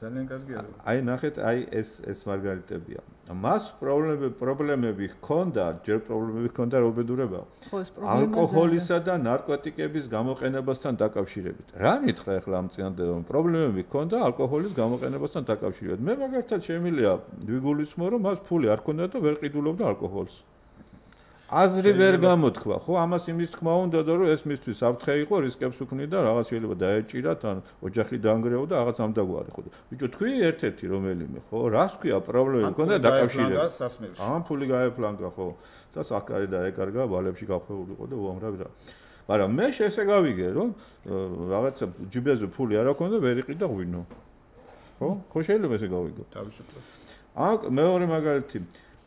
ძალიან კარგია აი ნახეთ აი ეს ეს მარგალიტებია მას პრობლემები პრობლემები ჰქონდა ჯერ პრობლემები ჰქონდა რობედურება ალკოჰოლისა და ნარკოტიკების გამოყენებასთან დაკავშირებით რა მითხრა ახლა ამ წინადადებამ პრობლემები ჰქონდა ალკოჰოლის გამოყენებასთან დაკავშირებით მე მაგალითად შემიძლია ვიგულისხმო რომ მას ფული არ ჰქონდა და ვერ ყიდულობდა ალკოჰოლს აზრი ვერ გამოთქვა ხო ამას იმის თქმა უნდა რომ ეს მისთვის საფრთხე იყო რისკებს უქმნიდა რაღაც შეიძლება დაეჭირათ ან ოჯახი დაანგრევა და რაღაც ამ დაგვარი ხო ბიჭო თქვი ერთ-ერთი რომელიმე ხო რას ქვია პრობლემები ჰქონდა დაკავშირებით ამ ფული გაეფლანგა ხო და საკარი დაეკარგა ვალებში გახვეულიყო და უამრავი რა მაგრამ მე ესე გავიგე რომ რაღაცა ჯიბეზე ფული არ აქვს და ვერ იყიდა ღვინო ხო ხო შეიძლება ესე გავიგო თავისუფლად აქ მეორე მაგალითი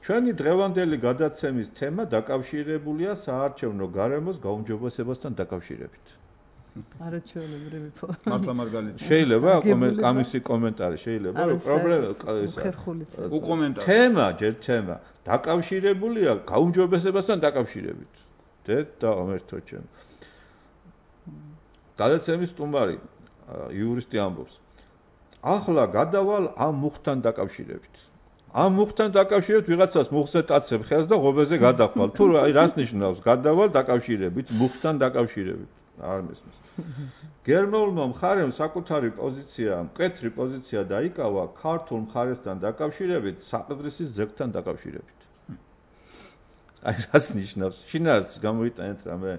ჩვენი დღევანდელი გადაცემის თემა დაკავშირებულია საარჩევნო გარემოს გაუმჯობესებასთან დაკავშირებით. არაჩვეულებრივი ფორმა. მართლა მარგალიტი. შეიძლება ამისი კომენტარი შეიძლება რომ პრობლემა უკომენტარი. თემა ჯერ თემა დაკავშირებულია გაუმჯობესებასთან დაკავშირებით. დედ და ამერთო ჩემ. გადაცემის სტუმარი იურისტი ამბობს. ახლა გადავალ ამ მუხთან დაკავშირებით. ამ მუხთან დაკავშირებით ვიღაცას მუხზეტაცებ ხელს და ღობეზე გადახვალ. თუ აი რას ნიშნავს? გადავალ დაკავშირებით, მუხთან დაკავშირებით. არ მესმის. გერმანულმა მხარემ საკუთარი პოზიცია, მკვეთრი პოზიცია დაიკავა ქართულ მხარესთან დაკავშირებით, საყდრისის ძეგლთან დაკავშირებით. აი რას ნიშნავს? შინაარს გამოიტანეთ რამე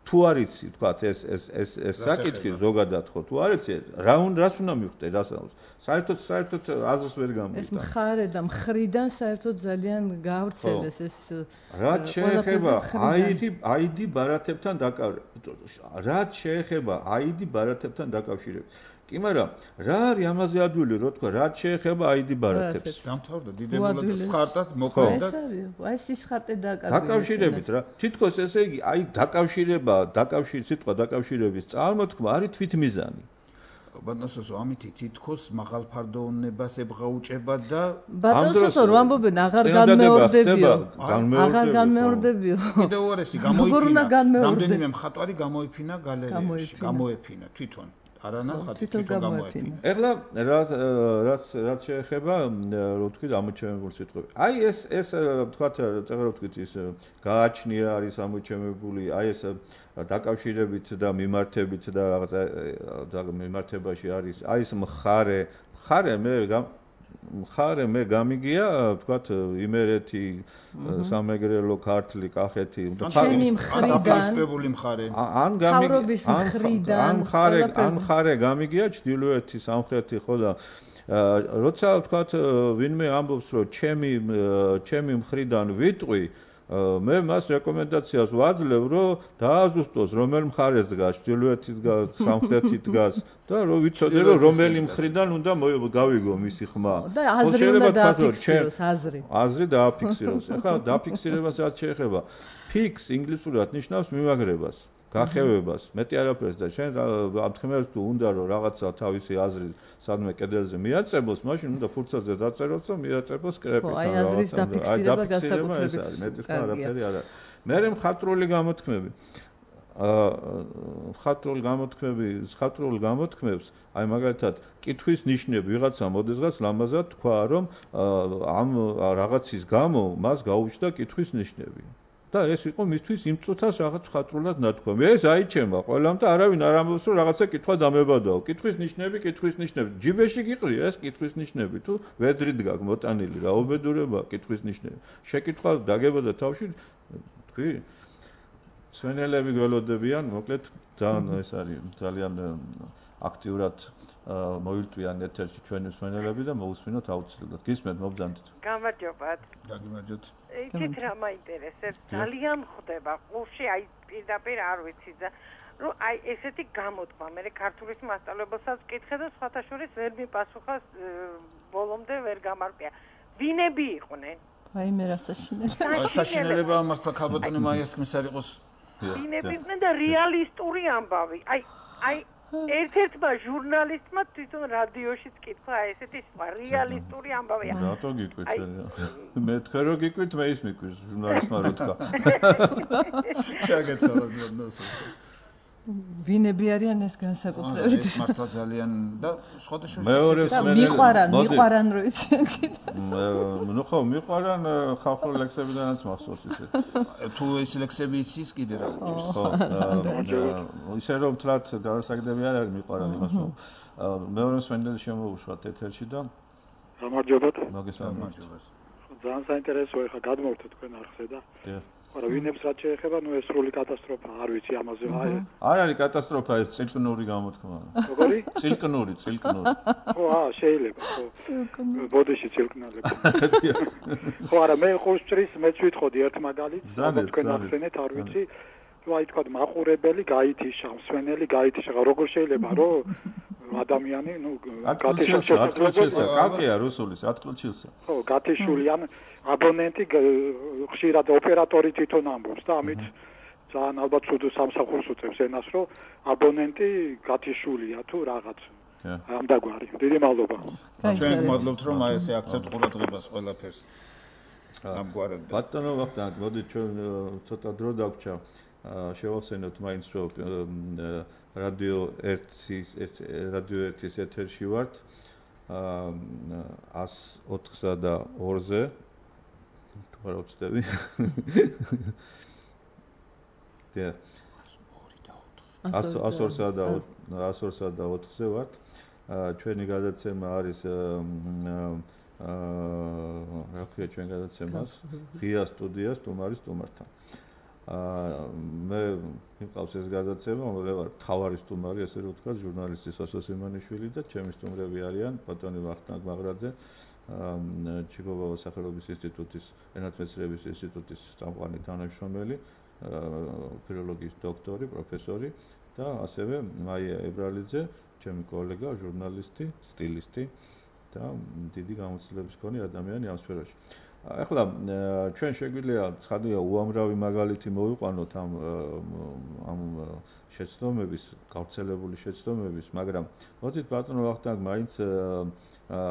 თუ არ იცი, თქვათ ეს ეს ეს ეს საკითხი ზოგადად ხო თუ არ იცი, რა უნდა რას უნდა მიხვდე, რას აქვს? საერთოდ საერთოდ აზრს ვერ გამოიტან. ეს მხარე და მხრიდან საერთოდ ძალიან გავრცელეს ეს რაც შეეხება აიდი აიდი ბარათებთან დაკავშირებით. რაც შეეხება აიდი ბარათებთან დაკავშირებით. კი, მაგრამ რა არის ამაზე ადვილი, რო თქვა, რაც შეეხება აიდი ბარათებს. დამთავრდა დიდებულად სხარტად მოხდა. აი სისხარტე დაკავშირებით რა. თითქოს ესე იგი, აი დაკავშირება, დაკავშირ სიტყვა დაკავშირების წარმოთქმა არის თვითმიზანი. ბატონსო, ამითი თითქოს მაღალფარდოვნებას ებღაუჭება და ბატონსო, რო ამბობენ აღარ განმეორდებიო. აღარ განმეორდებიო. კიდევ უარესი გამოიფინა. რამდენიმე მხატვარი გამოიფინა გალერეაში, გამოეფინა თვითონ. არანახა თვითონ გამოეფინა. ეხლა რაც რაც რაც შეეხება რო თქვი ამოჩემებული სიტყვები. აი ეს ეს თქვათ წეგრ რო თქვით ის გააჩნია არის ამოჩემებული, აი ეს დაკავშირებით და მიმართებით და რაღაცა მიმართებაში არის აი ეს მხარე, მხარე მე მხარე მე გამიგია თქვათ იმერეთი სამეგრელო ქართლი კახეთი ჩემი მხრიდან მხარე ან გამიგია ან მხარე ან მხარე გამიგია ჩრდილოეთი სამხრეთი ხო და როცა თქვათ ვინმე ამბობს რომ ჩემი ჩემი მხრიდან ვიტყვი მე მას რეკომენდაციას ვაძლევ, რომ დააზუსტოს რომელ მხარეს დგას, ჩრდილოეთით დგას, სამხრეთით დგას და რომ ვიცოდე რომ რომელი მხრიდან უნდა გავიგო მისი ხმა. და აზრი უნდა დააფიქსიროს, აზრი. აზრი დააფიქსიროს. ახლა დაფიქსირებას რაც შეეხება, fix ინგლისურად ნიშნავს მიმაგრებას, გახევებას, მეტი არაფერს და შენ ამთქმევს თუ უნდა რომ რაღაცა თავისი აზრი სადმე კედელზე მიაწებოს, მაშინ უნდა ფურცელზე დაწეროს და მიაწებოს კრეპით. აი აზრის დაფიქსირება განსაკუთრებით. მეტი სხვა არაფერი არ არის. მე მხატვრული გამოთქმები აა მხატვრული გამოთქმები, მხატვრულ გამოთქმებს, აი მაგალითად, კითხვის ნიშნები ვიღაცა მოდესღაც ლამაზად თქვა, რომ ამ რაღაცის გამო მას გაუჩნდა კითხვის ნიშნები. და ეს იყო მისთვის იმ წუთას რაღაც მხატვრულად ნათქვამი. ეს აიჩემა ყველამ და არავინ არ ამბობს რომ რაღაცა კითხვა დამებადაო. კითხვის ნიშნები, კითხვის ნიშნები. ჯიბეში გიყრია ეს კითხვის ნიშნები თუ ვედრით გაქვს მოტანილი რა უბედურება კითხვის ნიშნები. შეკითხვა დაგებოდა თავში თქვი სვენელები გველოდებიან, მოკლედ ძალიან ეს არის ძალიან აქტიურად მოილტვიან ეთერში ჩვენი სვენელები და მოусმინოთ აუცილებლად. გისმენთ მობრძანდით. გამარჯობათ. გაგიმარჯოთ. იცით რა მაინტერესებს? ძალიან ხდება ყურში, აი პირდაპირ არ ვიცი და რომ აი ესეთი გამოთქმა, მე ქართულის მასწავლებელსაც ვკითხე და სხვათა შორის ვერ მიპასუხა, ბოლომდე ვერ გამარკვია. ვინები იყვნენ? აი მე რასაშინელი. საშინელება მართლა ქალბატონი მაიასკმის არ იყოს. ვინები იყვნენ და რეალისტური ამბავი. აი აი ერთ-ერთმა ჟურნალისტმა თვითონ რადიოშიც კითხა ესეთი რეალისტური ამბავია. რატო გიკვით? მე თქვენ რო გიკვით, მე ის მიკვის ჟურნალისტმა რო თქვა. შეგეცადოთ ნოსო. ვინები არიან ეს განსაკუთრებით? ეს მართლა ძალიან და სხვადასხვა მეორე მიყვარან, მიყვარან რო იციან კიდე. ნუ ხო, მიყვარან ხალხური ლექსებიდანაც მახსოვს ისე. თუ ეს ლექსები იცის კიდე რა გიჩვენს. ხო, ისე რომ თლათ განსაკუთრებული არ არის მიყვარან იმას. მეორე სვენდელი შემოუშვათ ეთერში და გამარჯობათ. მოგესალმებით. ძალიან საინტერესოა ხა გადმოვთ თქვენ არხზე და არა ვინებს რაც შეეხება, ნუ ეს სრული კატასტროფა, არ ვიცი ამაზე. აი არ არის კატასტროფა, ეს წილკნური გამოთქმა. როგორი? წილკნური, წილკნური. ხო, აა შეიძლება, ხო. წილკნური. ბოდიში წილკნალები. ხო, არა მე ხუშტრის მეც ვითხოვდი ერთ მაგალითს, თქვენ ახსენეთ, არ ვიცი. თუ აი თქვა მაყურებელი გაითიშა, მსვენელი გაითიშა, როგორ შეიძლება რომ ადამიანი, ნუ გათიშულსა, ათკლჩილსა, კალკია რუსულის ათკლჩილსა. ხო, გათიშულიან აბონენტი ხშირად ოპერატორი თვითონ ამბობს და ამით ძალიან ალბათ ცუდ სამსახურს უწევს ენას, რომ აბონენტი გათიშულია თუ რაღაც. ამ დაგვარი. დიდი მადლობა. ჩვენ გმადლობთ რომ აი ესე აქცენტ ყურადღებას ყველაფერს ამგვარად. ბატონო ვახტანგ, მოდით ჩვენ ცოტა დრო დაგვჭა. შევახსენოთ მაინც რომ რადიო ერთის რადიო ერთის ეთერში ვართ ას ოთხსა და ორზე თუ არ ვცდები და ას ორსა და ას ორსა და ოთხზე ვართ ჩვენი გადაცემა არის აა რა ქვია ჩვენ გადაცემას ღია სტუდია სტუმარი სტუმართან აა მე მიყავს ეს გადაცემა, მე ვარ თავარი სტუმარი, ესე რომ ვთქვა, ჟურნალისტი სოსო სიმონიშვილი და ჩემი სტუმრები არიან ბატონი ვახტანგ მაღრაძე, ჩიკობავა სახელობის ინსტიტუტის, ენათმეცნიერების ინსტიტუტის წამყვანი თანამშრომელი, ფილოლოგიის დოქტორი, პროფესორი და ასევე მაია ებრალიძე, ჩემი კოლეგა, ჟურნალისტი, სტილისტი და დიდი გამოცდილების მქონე ადამიანი ამ სფეროში. ახლა ჩვენ შეგვიძლია ცხადია უამრავი მაგალითი მოვიყვანოთ ამ ამ შეცდომების, გავრცელებული შეცდომების, მაგრამ მოდით ბატონო ვახტანგ მაინც აა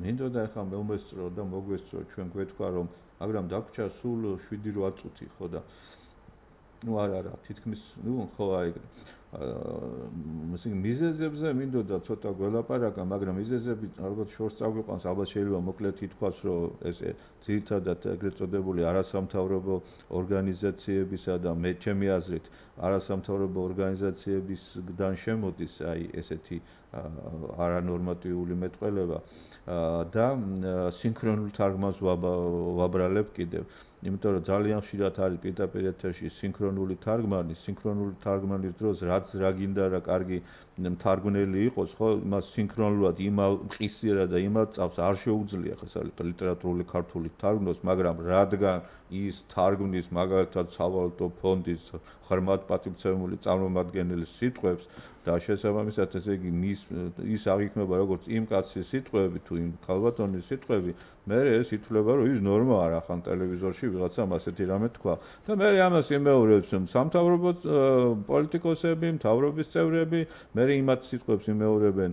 მინდოდა ახლა მომესწრო და მოგვესწრო ჩვენ გვეთქვა რომ მაგრამ დაგვრჩა სულ შვიდი რვა წუთი ხო და ნუ არა არა თითქმის ნუ ხო აი აა მიზეზებზე მინდოდა ცოტა გველაპარაკა, მაგრამ მიზეზები ალბათ შორს წაგვიყვანს, ალბათ შეიძლება მოკლედ ითქვას, რომ ეს ძირითადად ეგრეთ წოდებული არასამთავრობო ორგანიზაციებისა და მე ჩემი აზრით არასამთავრობო ორგანიზაციებისგან შემოდის აი ესეთი არანორმატიული მეტყველება და სინქრონულ თარგმანს ვაბრალებ კიდევ. იმიტომ რომ ძალიან ხშირად არის პირდაპირ ეთერში სინქრონული თარგმანი, სინქრონული თარგმანის დროს რაც კაცს რა გინდა რა კარგი მთარგმნელი იყოს, ხო, მას სინქრონულად იმავ ყისიერად და იმავ წავს არ შეუძლია ხა ლიტერატურული ქართული თარგმნოს, მაგრამ რადგან ის თარგმნის მაგალითად სავალუტო ფონდის ღრმად პატივცემული წარმომადგენლის სიტყვებს და შესაბამისად ესე იგი მის ის აღიქმება როგორც იმ კაცის სიტყვები თუ იმ ქალბატონის სიტყვები, მე ეს ითვლება რომ ის ნორმა არა ხან ტელევიზორში ვიღაცამ ასეთი რამე თქვა და მე ამას იმეორებს სამთავრობო პოლიტიკოსები, მთავრობის წევრები, მე იმათ სიტყვებს იმეორებენ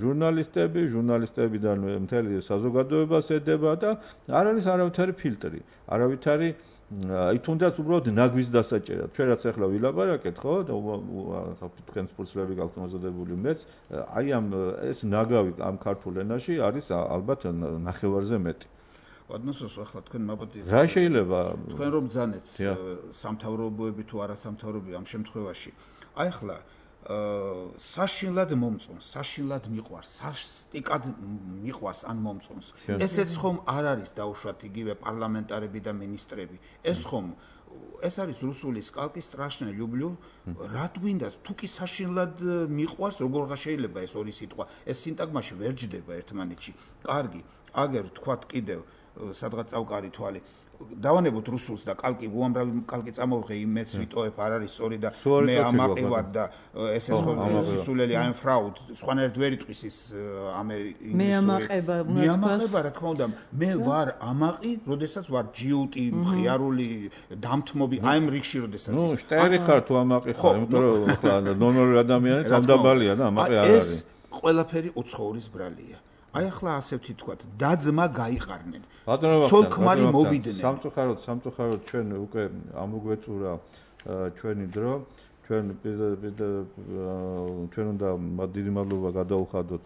ჟურნალისტები, ჟურნალისტებიდან მთელი საზოგადოებას ედება და არ არის არავითარი ფილტრი, არავითარი აი თუნდაც უბრალოდ ნაგვის დასაჭერად. ჩვენ რაც ახლა ვილაპარაკეთ, ხო? და თქვენ სპორტსლები გაქვთ მომზადებული მეც, აი ამ ეს ნაგავი ამ ქართულ ენაში არის ალბათ ნახევარზე მეტი. ოდნოსოს ახლა თქვენ მაბოდი რა შეიძლება თქვენ რომ ბძანეთ სამთავრობოები თუ არა სამთავრობოები ამ შემთხვევაში. აი ახლა საშინლად მომწონს, საშინლად მიყვარს, სასტიკად მიყვარს ან მომწონს. ესეც ხომ არ არის დაუშვათ იგივე პარლამენტარები და მინისტრები. ეს ხომ ეს არის რუსული სკალკი страшно люблю. რა გვინდა თუ კი საშინლად მიყვარს, როგორღა შეიძლება ეს ორი სიტყვა. ეს სინტაგმაში ვერ ჯდება ერთმანეთში. კარგი, აგერ თქვათ კიდევ სადღაც წავკარი თვალი. დავანებოთ რუსულს და კალკი უამრავი კალკი წამოვღე იმეც ვიტოებ არ არის სწორი და მე ამაყი ვარ და ეს ეს სულელი I'm fraud სხვანაირად ვერ იტყვის ის ამერიკული მე ამაყება მე ამაყება რა თქმა უნდა მე ვარ ამაყი როდესაც ვარ ჯიუტი მხიარული დამთმობი I'm რიგში როდესაც ნუ შტერი ხარ თუ ამაყი ხარ იმიტომ რომ ახლა ნორმალური ადამიანი თავდაბალია და ამაყი არ არის ეს ყველაფერი უცხოურის ბრალია აი ახლა ასე ვთქვათ დაძმა გაიყარნენ ცოლ-ქმარი მოვიდნენ სამწუხაროდ სამწუხაროდ ჩვენ უკვე ამოგვეწურა ჩვენი დრო ჩვენ ჩვენ უნდა დიდი მადლობა გადაუხადოთ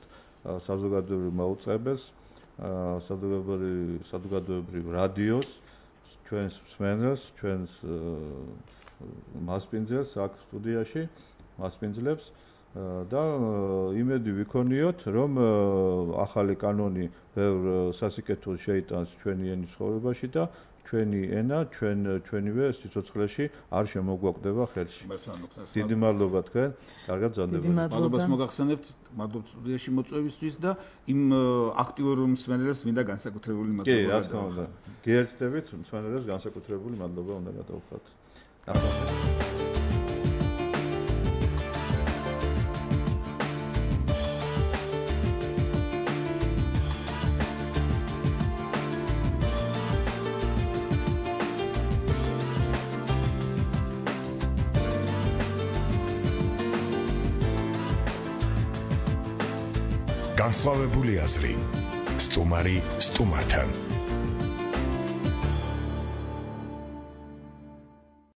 საზოგადოებრივ მაუწყებელს საზოგადოებრივ საზოგადოებრივ რადიოს ჩვენს მსმენელს ჩვენს მასპინძელს აქ სტუდიაში მასპინძლებს და იმედი ვიქონიოთ რომ ახალი კანონი ბევრ სასიკეთოს შეიტანს ჩვენი ენის ცხოვრებაში და ჩვენი ენა ჩვენ ჩვენივე სიცოცხლეში არ შემოგვაკვდება ხელში. დიდი მადლობა თქვენ, კარგად გზავნებოდეთ. მადლობას მოგახსენებთ, მადლობა სტუდიაში მოწვევისთვის და იმ აქტიურ მსმენელებს მინდა განსაკუთრებული მადლობა. კი, რა თქმა უნდა. გიერთდებით მსმენელებს განსაკუთრებული მადლობა უნდა გადავუხადოთ. ნახევარად. განსხვავებული აზრი სტუმარი სტუმართან